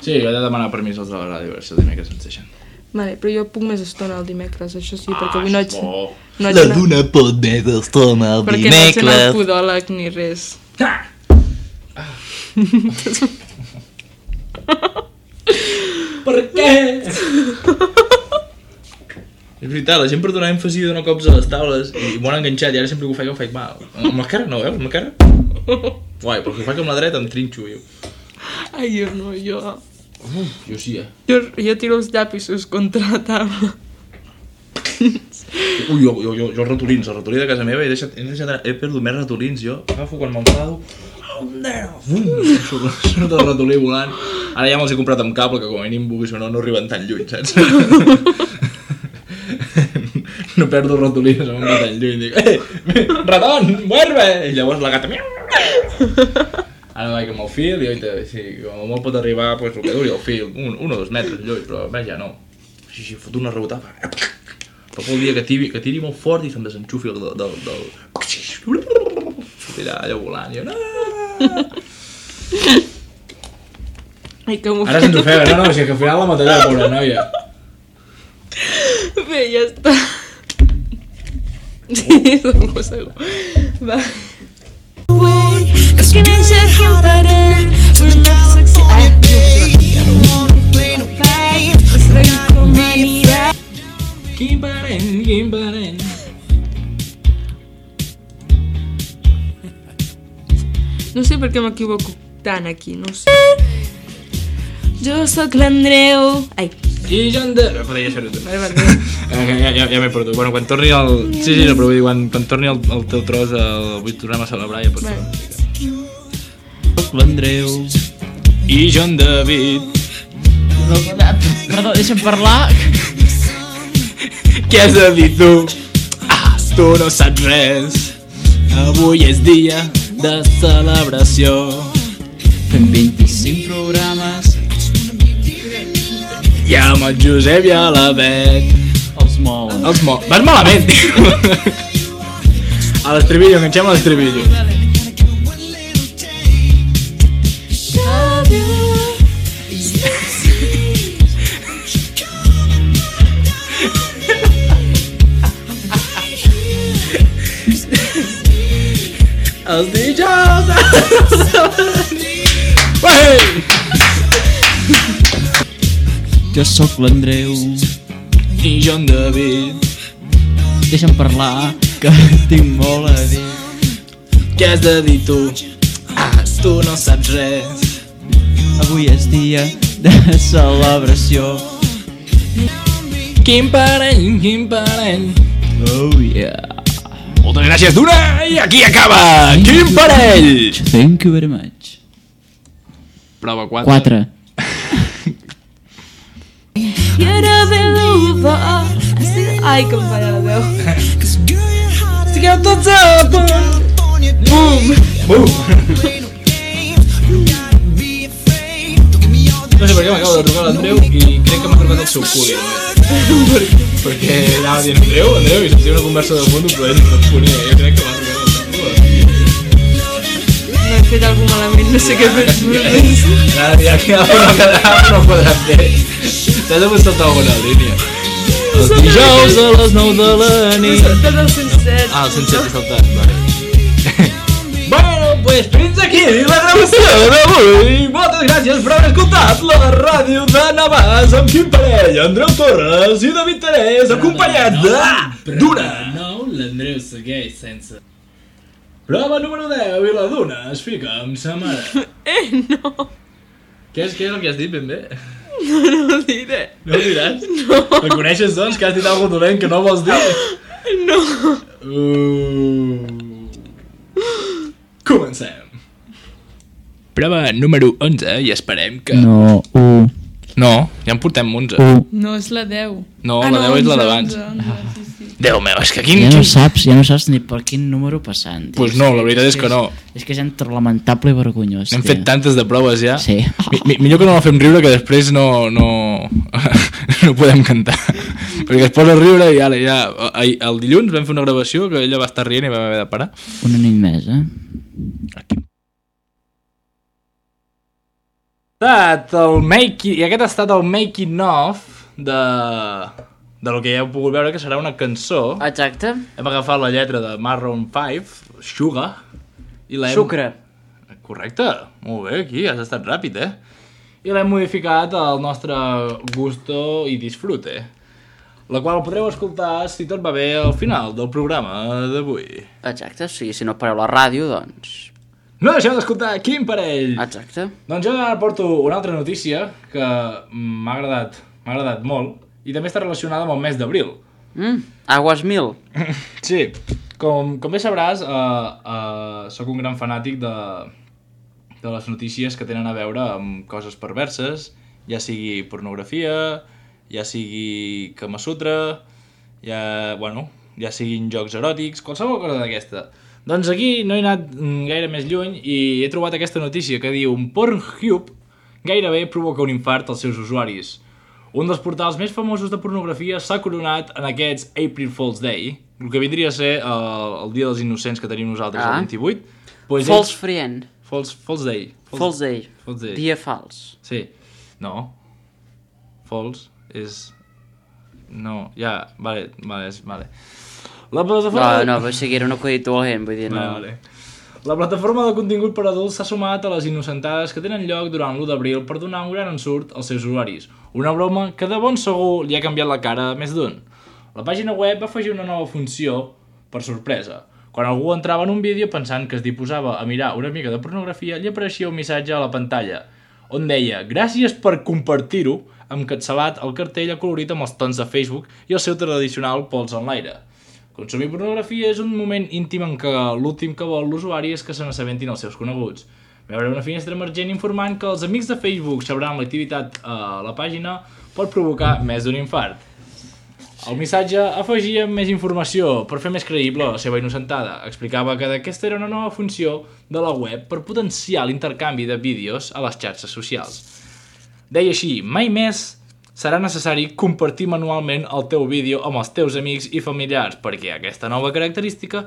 Sí, jo he de demanar permís als de la ràdio a veure si el dimecres ens deixen. Vale, però jo puc més estona el dimecres, això sí, perquè avui no haig... bo. No haig La anat, Duna pot més estona el perquè no haig anat al dimecres. podòleg ni res. Per què? És veritat, la gent per donar èmfasi dona cops a les taules i m'ho han enganxat i ara sempre que ho faig mal. Amb l'esquerra no, veus? Amb l'esquerra? Guai, però que ho faig amb la dreta em trinxo, jo. Ai, jo no, jo... Jo sí, Jo tiro els llapisos contra la taula. Ui, jo els ratolins, el ratolí de casa meva he perdut més ratolins, jo agafo quan m'enfado surt el ratolí volant. Ara ja me'ls he comprat amb cable, que com a mínim vulguis o no arriben tan lluny, saps? No perdo ratolins, no em va tan lluny, dic ratón, vuelve! I llavors la gata ara vaig amb el fil i sí, com molt pot arribar pues, el que duri el fil, 1 o 2 metres lluny, però més ja no. Així, fot una rebotada. Però el dia que tiri molt fort i se'm desenxufi del... Sortirà allò volant i jo... Ai, que m'ho Ara se'ns ofega, no, si que al final la matarà, pobra noia. Bé, ja està. Sí, segur. Va. It's getting harder. We're not Quim Parent. No sé per què m'equivoco tant aquí, no sé. Jo sóc l'Andreu... Ai, I John de... Podria ser-ho tu. Vale. Ja m'he perdut. Bueno, quan torni el... Sí, no, però vull dir, quan torni el teu tros, vull tornar a celebrar, ja pots Vale. Soc l'Andreu. I John David. Perdó, deixa'm parlar. Què has de dir tu? Tu no saps res. Avui és dia de celebració. Fem 25 programes. I amb el Josep i a la Bet. Els molen. Vas malament, tio. A l'estribillo, enganxem a l'estribillo. Els dijous... Ué! Jo sóc l'Andreu. I jo en David. Deixa'm parlar. Que tinc molt a dir. Què has de dir tu? Tu no saps res. Avui és dia de celebració. Quin parell. Oh yeah. Moltes gràcies d'una i aquí acaba Quin parell. Thank you very much. Prova 4. 4. Ai, que em falla la veu. Estigueu tots a punt. Bum. No sé per què m'acaba de trucar l'Andreu i crec que m'ha trucat el seu cul. Perquè anava dient Andreu, i sentia una conversa de fons, però ell no responia. Jo crec que m'ha trucat el seu cul. No he fet algun malament, no sé què he fet. Ara ja que no podrà fer. T'has de saltar alguna línia. Els dijous a les 9 de la nit. Tot el 107. El 107 he saltat, vale. Bueno, pues fins aquí la gravació d'avui. Moltes gràcies per haver escoltat la ràdio de Navàs amb Quim Parell, Andreu Torres i David Terès, acompanyat d'una. No, l'Andreu segueix sense... Prova número 10 i la Duna es fica amb sa mare. No. Què és el que has dit ben bé? No ho diré. No ho diràs? No. Reconeixes, doncs, que has dit alguna dolent que no vols dir? No. Comencem. Prova número 11 i esperem que... No, No, ja en portem 11. No, és la 10. No, la 10 és la d'abans. Déu meu, és que quin... Ja no saps ni per quin número passant. Pues no, la veritat és que no. És que és entre lamentable i vergonyós. Hem fet tantes de proves ja. Sí. Millor que no la fem riure, que després no podem cantar. Perquè es posa a riure i ara ja... El dilluns vam fer una gravació que ella va estar rient i vam haver de parar. Una nit més, Aquí. I aquest ha estat el making of del que ja heu pogut veure, que serà una cançó. Exacte. Hem agafat la lletra de Maroon 5, Sugar, i l'hem... Sucre. Correcte, molt bé, aquí has estat ràpid, I l'hem modificat al nostre gusto i disfrute, la qual podreu escoltar, si tot va bé, al final del programa d'avui. Exacte, sí, si no pareu la ràdio, doncs... No deixeu d'escoltar Quim Parell! Exacte. Doncs jo ara porto una altra notícia que m'ha agradat molt i també està relacionada amb el mes d'abril. Aguas mil. Sí, com bé sabràs, sóc un gran fanàtic de les notícies que tenen a veure amb coses perverses, ja sigui pornografia, ja sigui Kama Sutra, ja siguin jocs eròtics, qualsevol cosa d'aquesta. Doncs aquí no he anat gaire més lluny i he trobat aquesta notícia que diu Pornhub gairebé provoca un infart als seus usuaris. Un dels portals més famosos de pornografia s'ha coronat en aquests April Fool's Day, el que vindria a ser el dia dels innocents que tenim nosaltres el 28. Pues False friend. False Day. False day. Dia fals. Sí. No. False és... No, ja, vale. La plataforma... No, però sí que era un acudit dolent, vull dir, no... Vale. La plataforma de contingut per adults s'ha sumat a les innocentades que tenen lloc durant l'1 d'abril per donar un gran ensurt als seus usuaris. Una broma que de bon segur li ha canviat la cara a més d'un. La pàgina web va afegir una nova funció per sorpresa. Quan algú entrava en un vídeo pensant que es disposava a mirar una mica de pornografia, li apareixia un missatge a la pantalla. on deia gràcies per compartir-ho, encapçalat el cartell acolorit amb els tons de Facebook i el seu tradicional pols en l'aire. Consumir pornografia és un moment íntim en què l'últim que vol l'usuari és que se n'assabentin els seus coneguts. Veure una finestra emergent informant que els amics de Facebook sabran l'activitat a la pàgina pot provocar més d'un infart. El missatge afegia més informació per fer més creïble la seva innocentada. Explicava que aquesta era una nova funció de la web per potenciar l'intercanvi de vídeos a les xarxes socials. Deia així, mai més serà necessari compartir manualment el teu vídeo amb els teus amics i familiars, perquè aquesta nova característica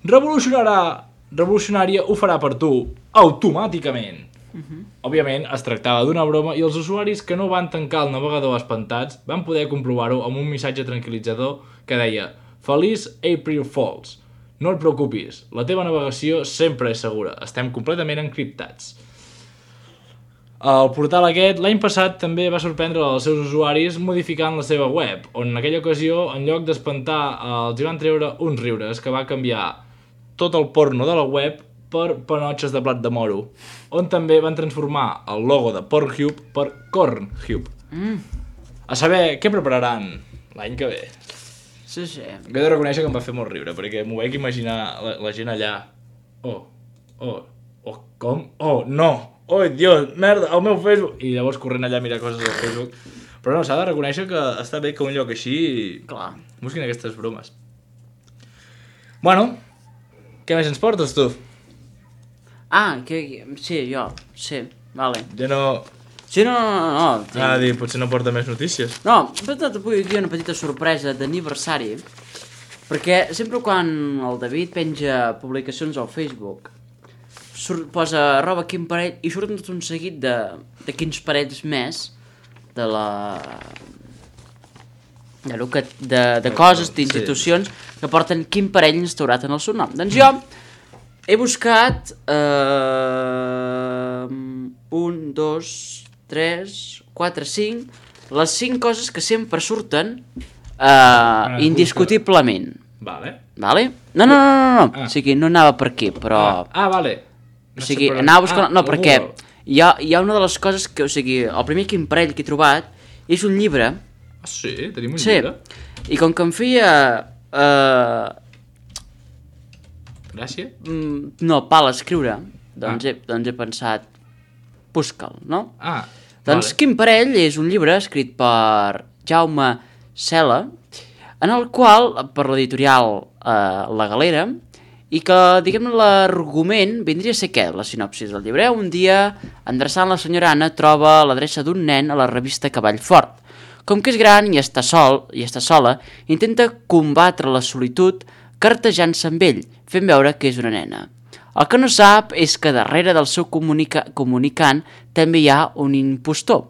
revolucionària ho farà per tu automàticament. Òbviament, es tractava d'una broma i els usuaris que no van tancar el navegador espantats van poder comprovar-ho amb un missatge tranquil·litzador que deia Feliç April Fools. No et preocupis, la teva navegació sempre és segura, estem completament encriptats. El portal aquest l'any passat també va sorprendre els seus usuaris modificant la seva web, on en aquella ocasió, en lloc d'espantar, els hi van treure uns riures que va canviar tot el porno de la web per panotxes de blat de moro, on també van transformar el logo de Pornhub per Cornhub. A saber què prepararan l'any que ve. Sí. He de reconèixer que em va fer molt riure, perquè m'ho vaig imaginar la gent allà. Com? No! Dios, merda, el meu Facebook! I llavors corrent allà a mirar coses al Facebook. Però no, s'ha de reconèixer que està bé que un lloc així Clar. busquin aquestes bromes. Bueno, què més ens portes, tu? Sí, jo, sí, vale. Ja no... Sí, no. potser no porta més notícies. No, però avui aquí una petita sorpresa d'aniversari, perquè sempre quan el David penja publicacions al Facebook, posa roba quin parell i surten tot un seguit de quins parells més de coses, d'institucions que porten quin parell instaurat en el seu nom. Doncs jo he buscat 1, 2, 3, 4, 5 les 5 coses que sempre surten indiscutiblement. Vale? No. O sigui, no anava per aquí, però... Vale. O sigui, anava buscant... No, perquè hi ha una de les coses que... O sigui, el primer quin parell que he trobat és un llibre. Sí? Tenim un llibre? I com que em feia... Gràcia? No, pal escriure, doncs he pensat, busca'l, no? Doncs Quin parell és un llibre escrit per Jaume Sela, en el qual, per l'editorial La Galera, i que, diguem-ne, l'argument vindria a ser què, la sinopsis del llibre. Un dia, endreçant la senyora Anna, troba l'adreça d'un nen a la revista Cavall Fort. Com que és gran i està sola, intenta combatre la solitud cartejant-se amb ell, fent veure que és una nena. El que no sap és que darrere del seu comunicant també hi ha un impostor.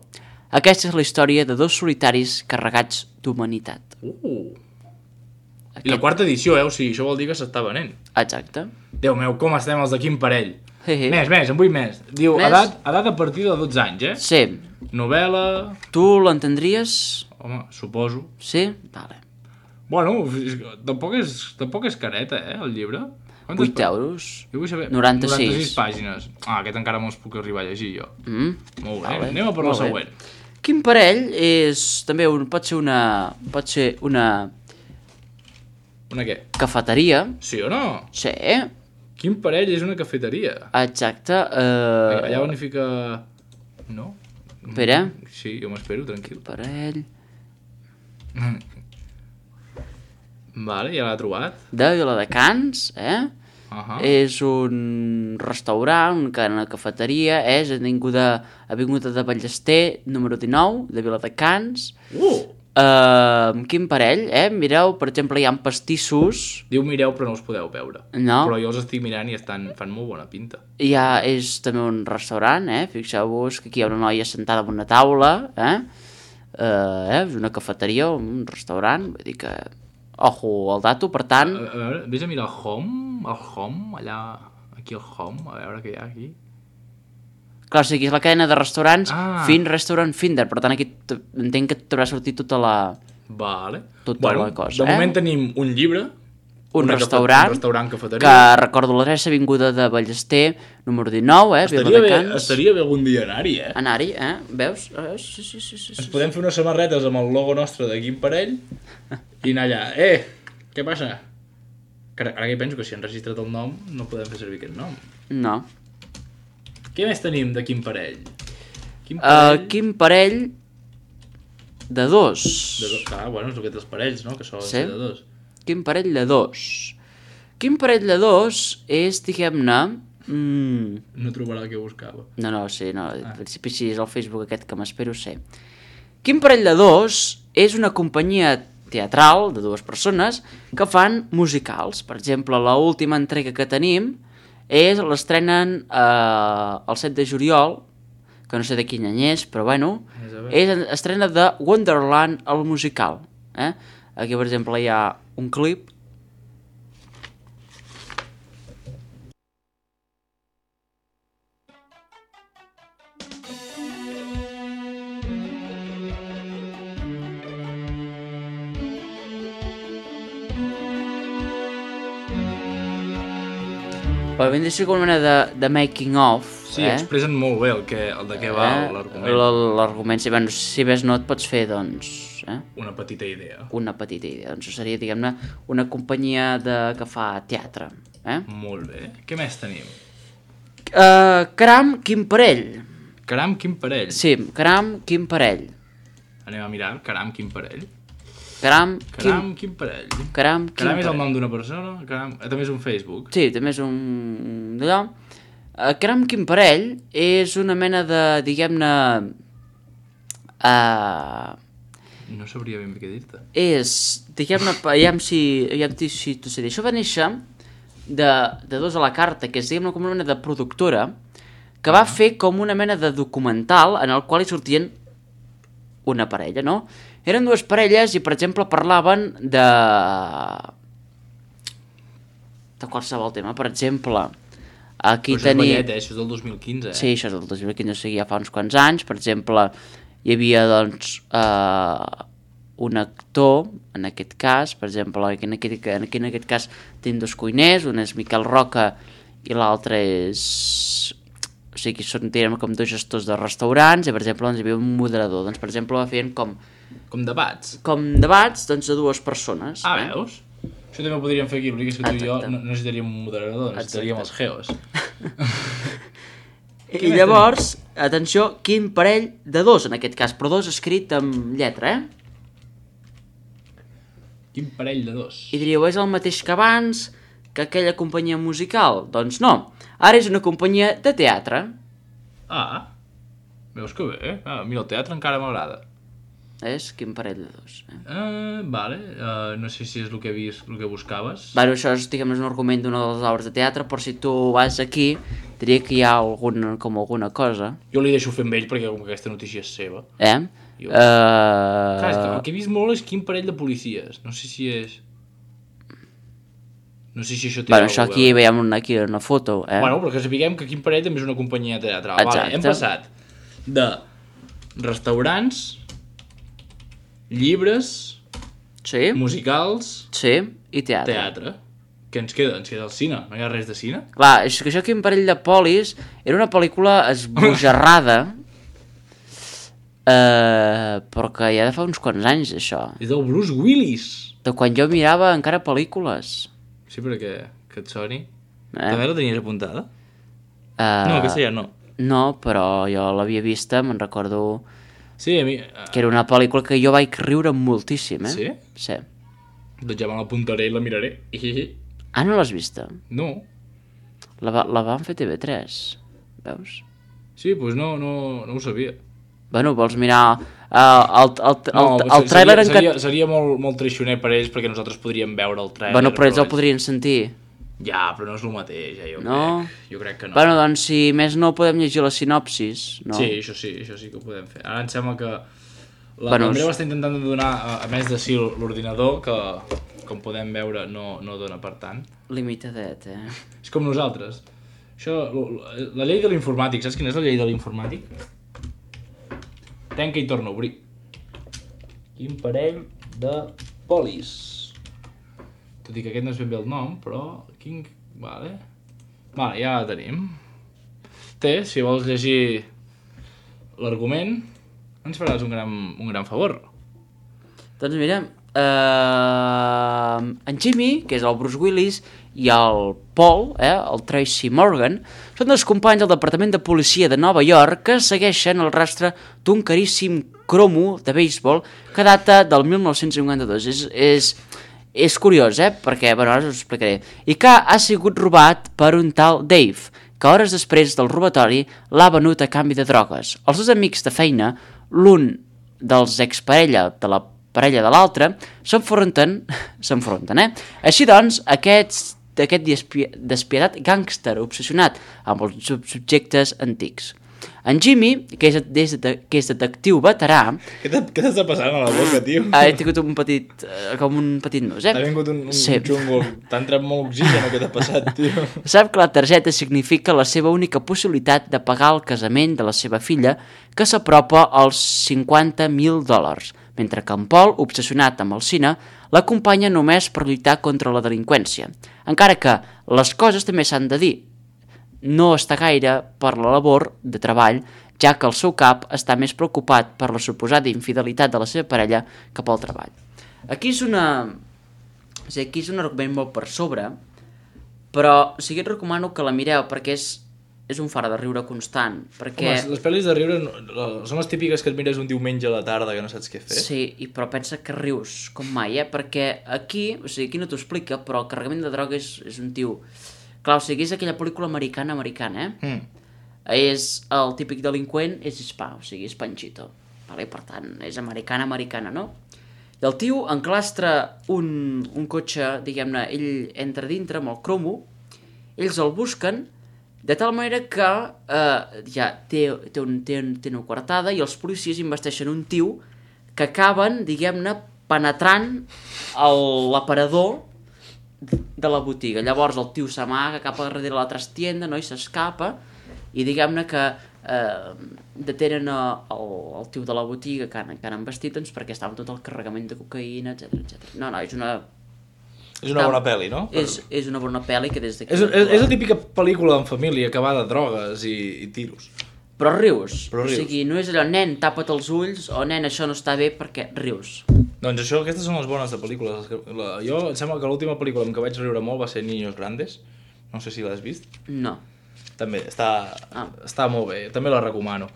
Aquesta és la història de dos solitaris carregats d'humanitat. I la quarta edició, o sigui, això vol dir que s'està venent. Exacte. Déu meu, com estem els de quin parell? Més, en vull més. Diu, edat a partir de 12 anys, Sí. Novel·la... Tu l'entendries? Home, suposo. Sí? Vale. Bueno, tampoc és careta, el llibre. 8 euros. Jo vull saber... 96 pàgines. Aquest encara me'ls puc arribar a llegir, jo. Molt bé, vale. Anem a per la següent. Quin parell és... També pot ser una... Una què? Cafeteria. Sí o no? Sí. Quin parell és una cafeteria? Exacte. Allà on hi fica... No? Espera. Sí, jo m'espero, tranquil. Parell... Vale, ja l'ha trobat. De Viladecans, És un restaurant, una cadena de cafeteria, és Avinguda de Ballester, número 19, de Viladecans. Quin parell, Mireu, per exemple, hi ha pastissos. Diu mireu, però no els podeu veure. No. Però jo els estic mirant i fan molt bona pinta. És també un restaurant, Fixeu-vos que aquí hi ha una noia sentada en una taula, És una cafeteria, un restaurant, vull dir que... Ojo, el dato, per tant... A veure, vés a mirar el home, allà, aquí el home, a veure què hi ha aquí. Clar, o sigui, és la cadena de restaurants Restaurant Finder, per tant aquí entenc que t'haurà sortit tota la... Vale. Tota la cosa, De moment tenim un llibre, un restaurant, cafeteria. que recordo l'adreça, avinguda de Ballester, número 19, Viladecans. Estaria bé algun dia anar-hi, Anar-hi, veus? Sí. Ens podem fer unes samarretes amb el logo nostre de Quim Parell i anar allà. Què passa? Ara que penso que si han registrat el nom no podem fer servir aquest nom. No. Què més tenim de Quim Parell? Quim Parell de 2. Clar, bueno, és el que té els parells, no? Que solen ser de 2. Quim Parell de 2. Quim Parell de 2 és, diguem-ne... No trobarà el que buscava. No, sí, no. Al principi sí, és el Facebook aquest que m'espero ser. Quim Parell de 2 és una companyia teatral de 2 persones que fan musicals. Per exemple, l'última entrega que tenim l'estrenen el 7 de juliol, que no sé de quin any és, però bueno, estrena de Wonderland, el musical. Aquí, per exemple, hi ha un clip. Però ben de ser com una mena de making of. Sí, expressen molt bé el de què va l'argument. L'argument, si ves no et pots fer, doncs... Una petita idea. Doncs seria, diguem-ne, una companyia que fa teatre. Molt bé. Què més tenim? Caram, quin parell. Caram, quin parell? Sí, Caram, quin parell. Anem a mirar, Caram, quin parell. Caram, quin parell. Caram és el nom d'una persona? També és un Facebook? Sí, també és un... d'allò. Caram, quin parell és una mena de, diguem-ne... No sabria ben bé què dir-te. És, diguem-ne, aviam si t'ho sé dir. Això va néixer de 2 a la carta, que és, diguem-ne, com una mena de productora, que va fer com una mena de documental en el qual hi sortien una parella, no? Eren 2 parelles i, per exemple, parlaven de qualsevol tema. Per exemple, aquí tenim... Però això és del 2015, Sí, això és del 2015, o sigui, ja fa uns quants anys. Per exemple, hi havia, doncs, un actor, en aquest cas, per exemple, en aquest cas tenim 2 cuiners, un és Miquel Roca i l'altre és... O sigui, tenen com 2 gestors de restaurants i, per exemple, doncs, hi havia un moderador. Doncs, per exemple, feien com debats? Com debats, doncs, de 2 persones. Veus? Això també ho podríem fer aquí, l'únic és que tu i jo no necessitaríem un moderador, necessitaríem els geos. I llavors, atenció, quin parell de 2, en aquest cas, però 2 escrit amb lletra, Quin parell de 2? I diríeu, és el mateix que abans, que aquella companyia musical? Doncs no, ara és una companyia de teatre. Veus que bé, mira, el teatre encara m'agrada. És quin parell de 2. Vale, no sé si és el que buscaves. Bueno, això és, diguem, un argument d'una de les obres de teatre, però si tu vas aquí, diria que hi ha alguna cosa. Jo li deixo fer amb ell perquè com que aquesta notícia és seva. Clar, és que el que he vist molt és quin parell de policies. No sé si és... No sé si això té... Bueno, això aquí veiem una foto, Bueno, però que sapiguem que quin parell també és una companyia teatral. Vale, hem passat de restaurants, llibres, musicals i teatre. Què ens queda? Ens queda el cine. No hi ha res de cine? Clar, és que això aquí, un parell de polis, era una pel·lícula esbojarrada, però que ja de fa uns quants anys, això. És del Bruce Willis. De quan jo mirava encara pel·lícules. Sí, perquè que et soni. També la tenies apuntada? No, aquesta ja no. No, però jo l'havia vista, me'n recordo... Sí, a mi... Que era una pel·lícula que jo vaig riure moltíssim, Sí? Sí. Doncs ja me l'apuntaré i la miraré. No l'has vista? No. La van fer TV3, veus? Sí, doncs no ho sabia. Bueno, vols mirar el tràiler... Seria molt traicioner per ells perquè nosaltres podríem veure el tràiler. Bueno, però ells el podrien sentir. Ja, però no és el mateix, jo crec que no. Bueno, doncs si més no podem llegir la sinopsis, no? Sí, això sí que ho podem fer. Ara em sembla que l'Andreu està intentant donar, a més de sí, l'ordinador, que com podem veure no dona per tant. Limitadet, És com nosaltres. Això, la llei de l'informàtic, saps quina és la llei de l'informàtic? Tanca i torna a obrir. Quin parell de polis. tot i que aquest no és ben bé el nom, però... Vale, ja la tenim. Si vols llegir l'argument, ens faràs un gran favor. Doncs mira, en Jimmy, que és el Bruce Willis, i el Paul, el Tracy Morgan, són dos companys del Departament de Policia de Nova York que segueixen el rastre d'un caríssim cromo de béisbol que data del 1952. És curiós, perquè, ara us ho explicaré. I que ha sigut robat per un tal Dave, que hores després del robatori l'ha venut a canvi de drogues. Els dos amics de feina, l'un dels exparella de la parella de l'altre, s'enfronten. Així doncs, aquest despietat gàngster obsessionat amb els subjectes antics. En Jimmy, que és detectiu veterà... Què t'està passant a la boca, tio? He tingut un petit nus, Ha vingut un xungo. T'ha entrat molt oxigen, què t'ha passat, tio? Sap que la targeta significa la seva única possibilitat de pagar el casament de la seva filla, que s'apropa als $50,000, mentre que en Paul, obsessionat amb el cine, l'acompanya només per lluitar contra la delinqüència. Encara que les coses també s'han de dir, no està gaire per la labor de treball, ja que el seu cap està més preocupat per la suposada infidelitat de la seva parella que pel treball. Aquí és un argument molt per sobre, però et recomano que la mireu perquè és un far de riure constant. Perquè... Home, les pel·lis de riure són les típiques que et mires un diumenge a la tarda que no saps què fer. Sí, però pensa que rius com mai, perquè aquí no t'ho explica, però el carregament de droga és un tio... Clar, és aquella pel·lícula americana, és el típic delinqüent, és hispà, és Panchito. Vale? Per tant, és americana, no? I el tio enclastra un cotxe, diguem-ne, ell entra dintre amb el cromo, ells el busquen, de tal manera que ja té una coartada i els policies investeixen un tio que acaben, diguem-ne, penetrant l'aparador de la botiga. Llavors el tio s'amaga cap a darrere la trastienda, i s'escapa, i diguem-ne que detenen el tio de la botiga que han investit, doncs, perquè estava tot el carregament de cocaïna, etc. No, és una bona pel·li, no? És una bona pel·li que des d'aquí... És la típica pel·lícula en família que va de drogues i tiros. Però rius. O sigui, no és allò, nen, tapa't els ulls, o nen, això no està bé, perquè rius. Doncs aquestes són les bones de pel·lícules. Jo em sembla que l'última pel·lícula en què vaig riure molt va ser Niños Grandes. No sé si l'has vist. No. També, està molt bé, també la recomano.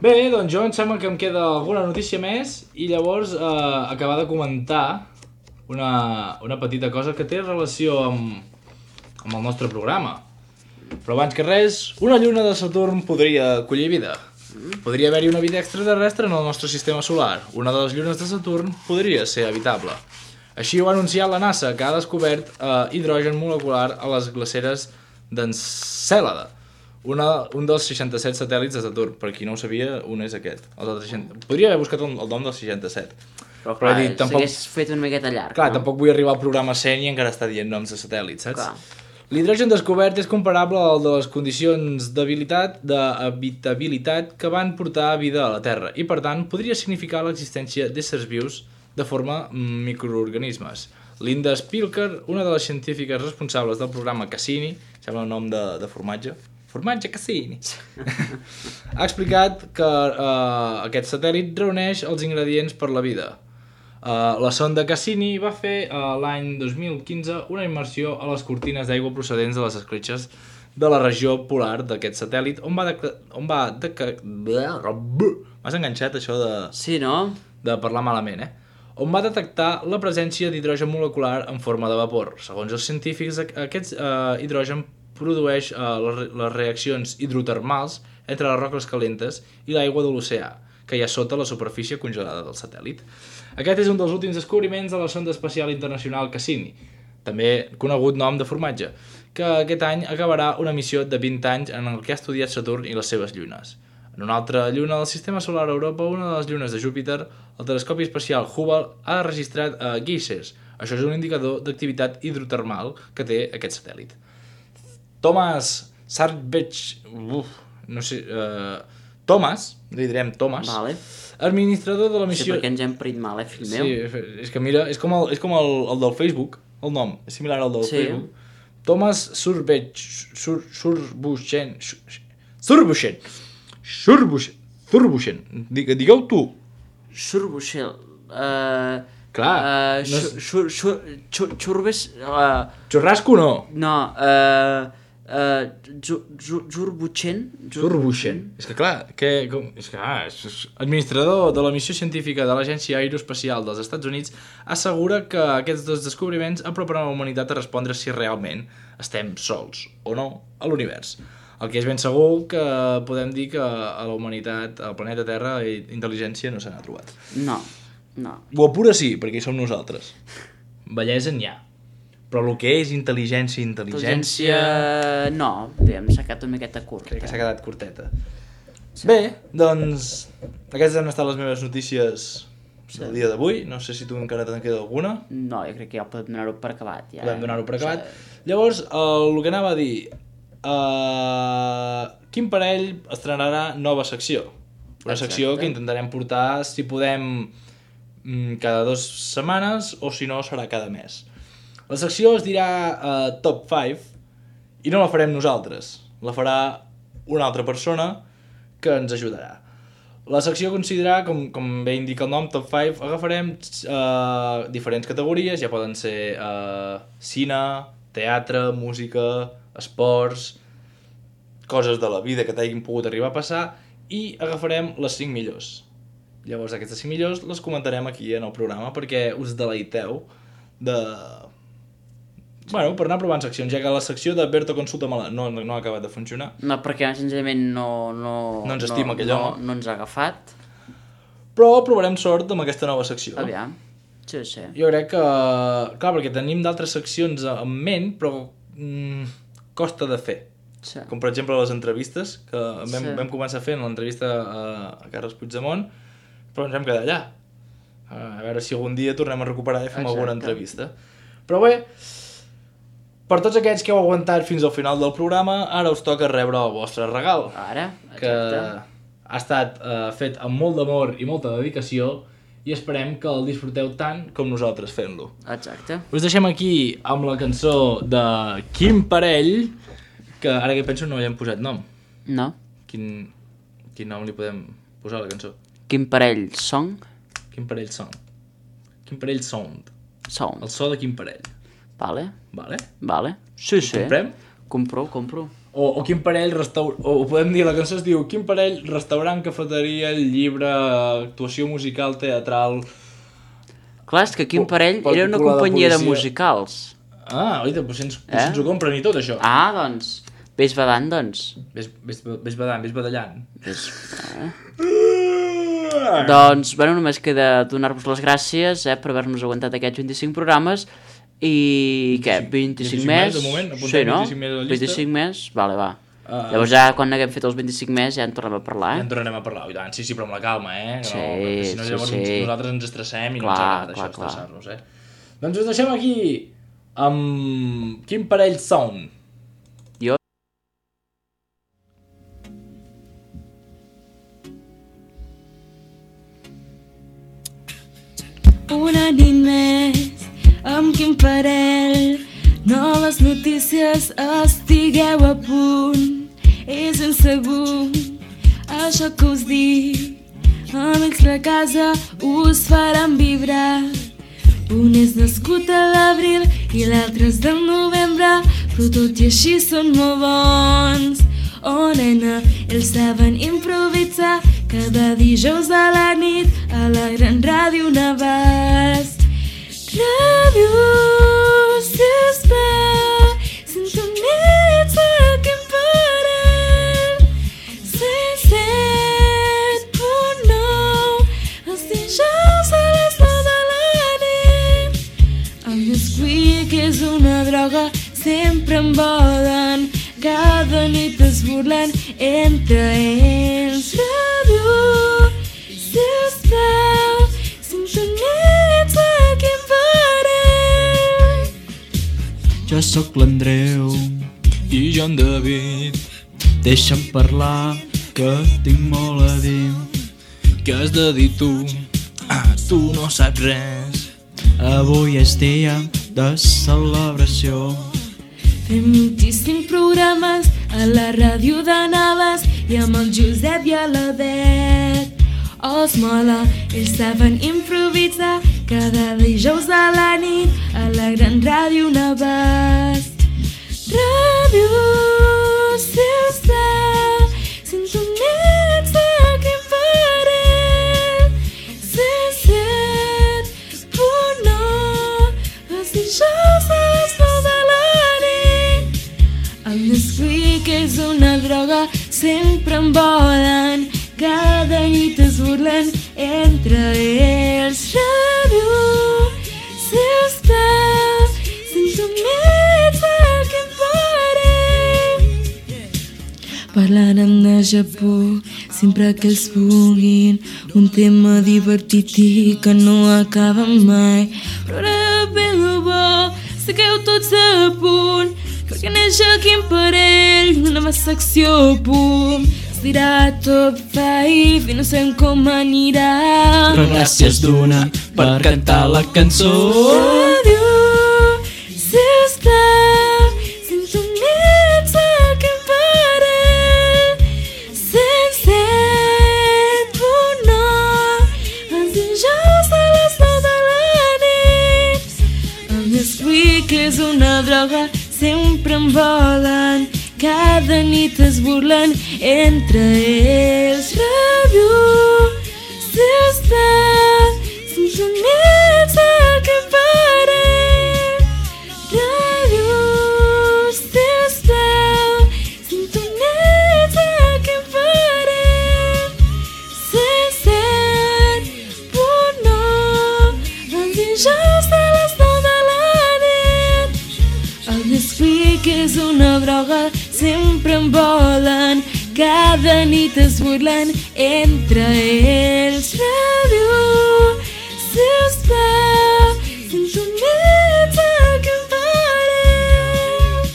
Bé, doncs jo em sembla que em queda alguna notícia més i llavors acabar de comentar una petita cosa que té relació amb el nostre programa. Però abans que res, una lluna de Saturn podria acollir vida. Podria haver-hi una vida extraterrestre en el nostre sistema solar. Una de les llunes de Saturn podria ser habitable. Així ho ha anunciat la NASA, que ha descobert hidrogen molecular a les glaceres d'Encèlade, un dels 67 satèl·lits de Saturn. Per qui no ho sabia, un és aquest. Podria haver buscat el nom del 67. Però clar, s'hagués fet una miqueta llarg. Clar, tampoc vull arribar al programa 100 i encara està dient noms de satèl·lits, saps? Clar. L'hidrogen descobert és comparable al de les condicions d'habitabilitat que van portar vida a la Terra i, per tant, podria significar l'existència d'éssers vius de forma microorganismes. Linda Spilker, una de les científiques responsables del programa Cassini, sembla un nom de formatge, formatge Cassini, ha explicat que aquest satèl·lit reuneix els ingredients per la vida. La sonda Cassini va fer l'any 2015 una immersió a les cortines d'aigua procedents de les escletxes de la regió polar d'aquest satèl·lit on va m'has enganxat això de... Sí, no? De parlar malament, on va detectar la presència d'hidrogen molecular en forma de vapor. Segons els científics, aquest hidrogen produeix les reaccions hidrotermals entre les roques calentes i l'aigua de l'oceà, que hi ha sota la superfície congelada del satèl·lit. Aquest és un dels últims descobriments de la sonda espacial internacional Cassini, també conegut nom de formatge, que aquest any acabarà una missió de 20 anys en el que ha estudiat Saturn i les seves llunes. En una altra lluna del sistema solar a Europa, una de les llunes de Júpiter, el telescopi espacial Hubble ha registrat guixes. Això és un indicador d'activitat hidrotermal que té aquest satèl·lit. Thomas Sarbech... Thomas, li direm Thomas, vale. Administrador de la missió... Sí, perquè ens hem parit mal, fill meu. Sí, és que mira, és com el del Facebook, el nom, és similar al del Sí. Facebook. Thomas Surbuchen. Digueu tu. Xurbuixel. Clar, Xurbes... Xurrasco no. No, Xurbuixen. Surbuchen. És que clar, és administrador de la missió científica de l'Agència Aeroespacial dels Estats Units assegura que aquests dos descobriments aproparan a la humanitat a respondre si realment estem sols o no a l'univers. El que és ben segur que podem dir que a la humanitat, al planeta Terra, intel·ligència no se n'ha trobat. No. O pura sí, perquè hi som nosaltres. Bellesa n'hi ha. Però el que és intel·ligència... No, s'ha quedat una miqueta curt. Crec que s'ha quedat curteta. Sí. Bé, doncs, aquestes han estat les meves notícies del dia d'avui. No sé si tu encara te'n queda alguna. No, jo crec que ja podem donar-ho per acabat. Ja. Podem donar-ho per acabat. Llavors, el que anava a dir... quin parell estrenarà nova secció? Una secció que intentarem portar, si podem, cada 2 setmanes, o si no, serà cada mes. La secció es dirà Top 5 i no la farem nosaltres. La farà una altra persona que ens ajudarà. La secció considerarà, com bé indica el nom, Top 5, agafarem diferents categories, ja poden ser cine, teatre, música, esports, coses de la vida que t'hagin pogut arribar a passar, i agafarem les 5 millors. Llavors aquestes 5 millors les comentarem aquí en el programa perquè us deleiteu Bueno, per anar provant seccions, ja que la secció de Berto Consulta-me-la no ha acabat de funcionar. No, perquè senzillament no ens estima aquell home. No ens ha agafat. Però provarem sort amb aquesta nova secció. Aviam. Sí. Jo crec que... Clar, perquè tenim d'altres seccions en ment, però costa de fer. Sí. Com per exemple les entrevistes, que vam començar fent l'entrevista a Carles Puigdemont, però ens vam quedar allà. A veure si algun dia tornem a recuperar i fem alguna entrevista. Però bé, per tots aquests que heu aguantat fins al final del programa, ara us toca rebre el vostre regal. Ara, exacte. Que ha estat fet amb molt d'amor i molta dedicació i esperem que el disfruteu tant com nosaltres fent-lo. Exacte. Us deixem aquí amb la cançó de Quin Parell, que ara que penso no li hem posat nom. No. Quin nom li podem posar a la cançó? Quin parell song? Quin parell song? Quin parell sound? Sound. El so de quin parell? Vale. Vale? Sí. Comprem? Compro. O quin parell o podem dir, la cançó es diu Quin parell restaurant, cafeteria, llibre, actuació musical, teatral... Clar, és que Quin parell era una companyia de musicals. Ah, oita, doncs ens ho compren i tot això. Ah, doncs, vés badant, doncs. Vés badallant. Doncs, bueno, només queda donar-vos les gràcies per haver-nos aguantat aquests 25 programes i, què, 25 més? De moment, sí, no? 25 més a la llista. 25 més? Vale, va. Llavors ja, quan haguem fet els 25 més, ja en tornem a parlar, Ja en tornarem a parlar, i tant, sí, però amb la calma, Sí, si no, llavors nosaltres ens estressem i no ens agrada això, estressar-nos, Doncs us deixem aquí amb Quin parell sound. Una nit més, amb Quin parell, noves notícies, estigueu a punt, és insegur, això que us dic, amics de casa us faran vibrar. Un és nascut a l'abril i l'altre és del novembre, però tot i així són molt bons. Oh nena, ells saben improvisar cada dijous a la nit a la gran ràdio Navàs. Ràdio, sisplau, sintonitza Quin parell. 107.9, els dijous a les 9 de la nit. El Nesquik és una droga, sempre em volen. Cada nit es burlen entre ells. Ràdio, sisplau, sintonitza Quin parell. Jo sóc l'Andreu I jo en David, Deixa'm parlar, que tinc molt a dir. què has de dir tu? Tu no saps res. Avui és dia de celebració. Fem 25 programes a la ràdio de Navas i amb el Josep i la Bet. Els mola, ells saben improvisar cada dijous a la nit a la gran ràdio Navas. Ràdio, sisplau, sintonitza aquell parell. 107.9, els dijous a les 9 de la nit. El Nesquik és una droga, sempre en volen, cada nit es burlen entre ells. Ràdio, sisplau, sintonitza aquell parell. Parlarem de Japó sempre que els puguin, un tema divertit i que no acaba mai. Però ara ve lo bo, segueu tots a punt, perquè neix quin parell, una nova secció, pum. Es dirà Top 5 i no sabem com anirà. Però gràcies d'una per cantar la cançó. Ràdio, sisplau, sintonitza aquell parell. 107.9, els dijous a les 9 de la nit. El Nesquik és una droga, sempre en volen, cada nit es burlen entre ells. Ràdio, sisplau, sintonitza aquell parell. Ràdio, sisplau, sintonitza aquell parell. 107.9, els dijous a les 9 de la nit. El Nesquik és una droga, sempre en volen, cada nit es burlen entre ells. Ràdio, sisplau, sintonitza aquell parell.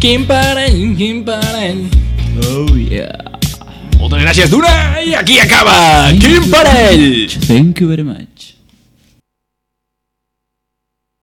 Quin parell, quin parell. Oh yeah. Moltes gràcies d'una i aquí acaba Quin parell! Thank you very much.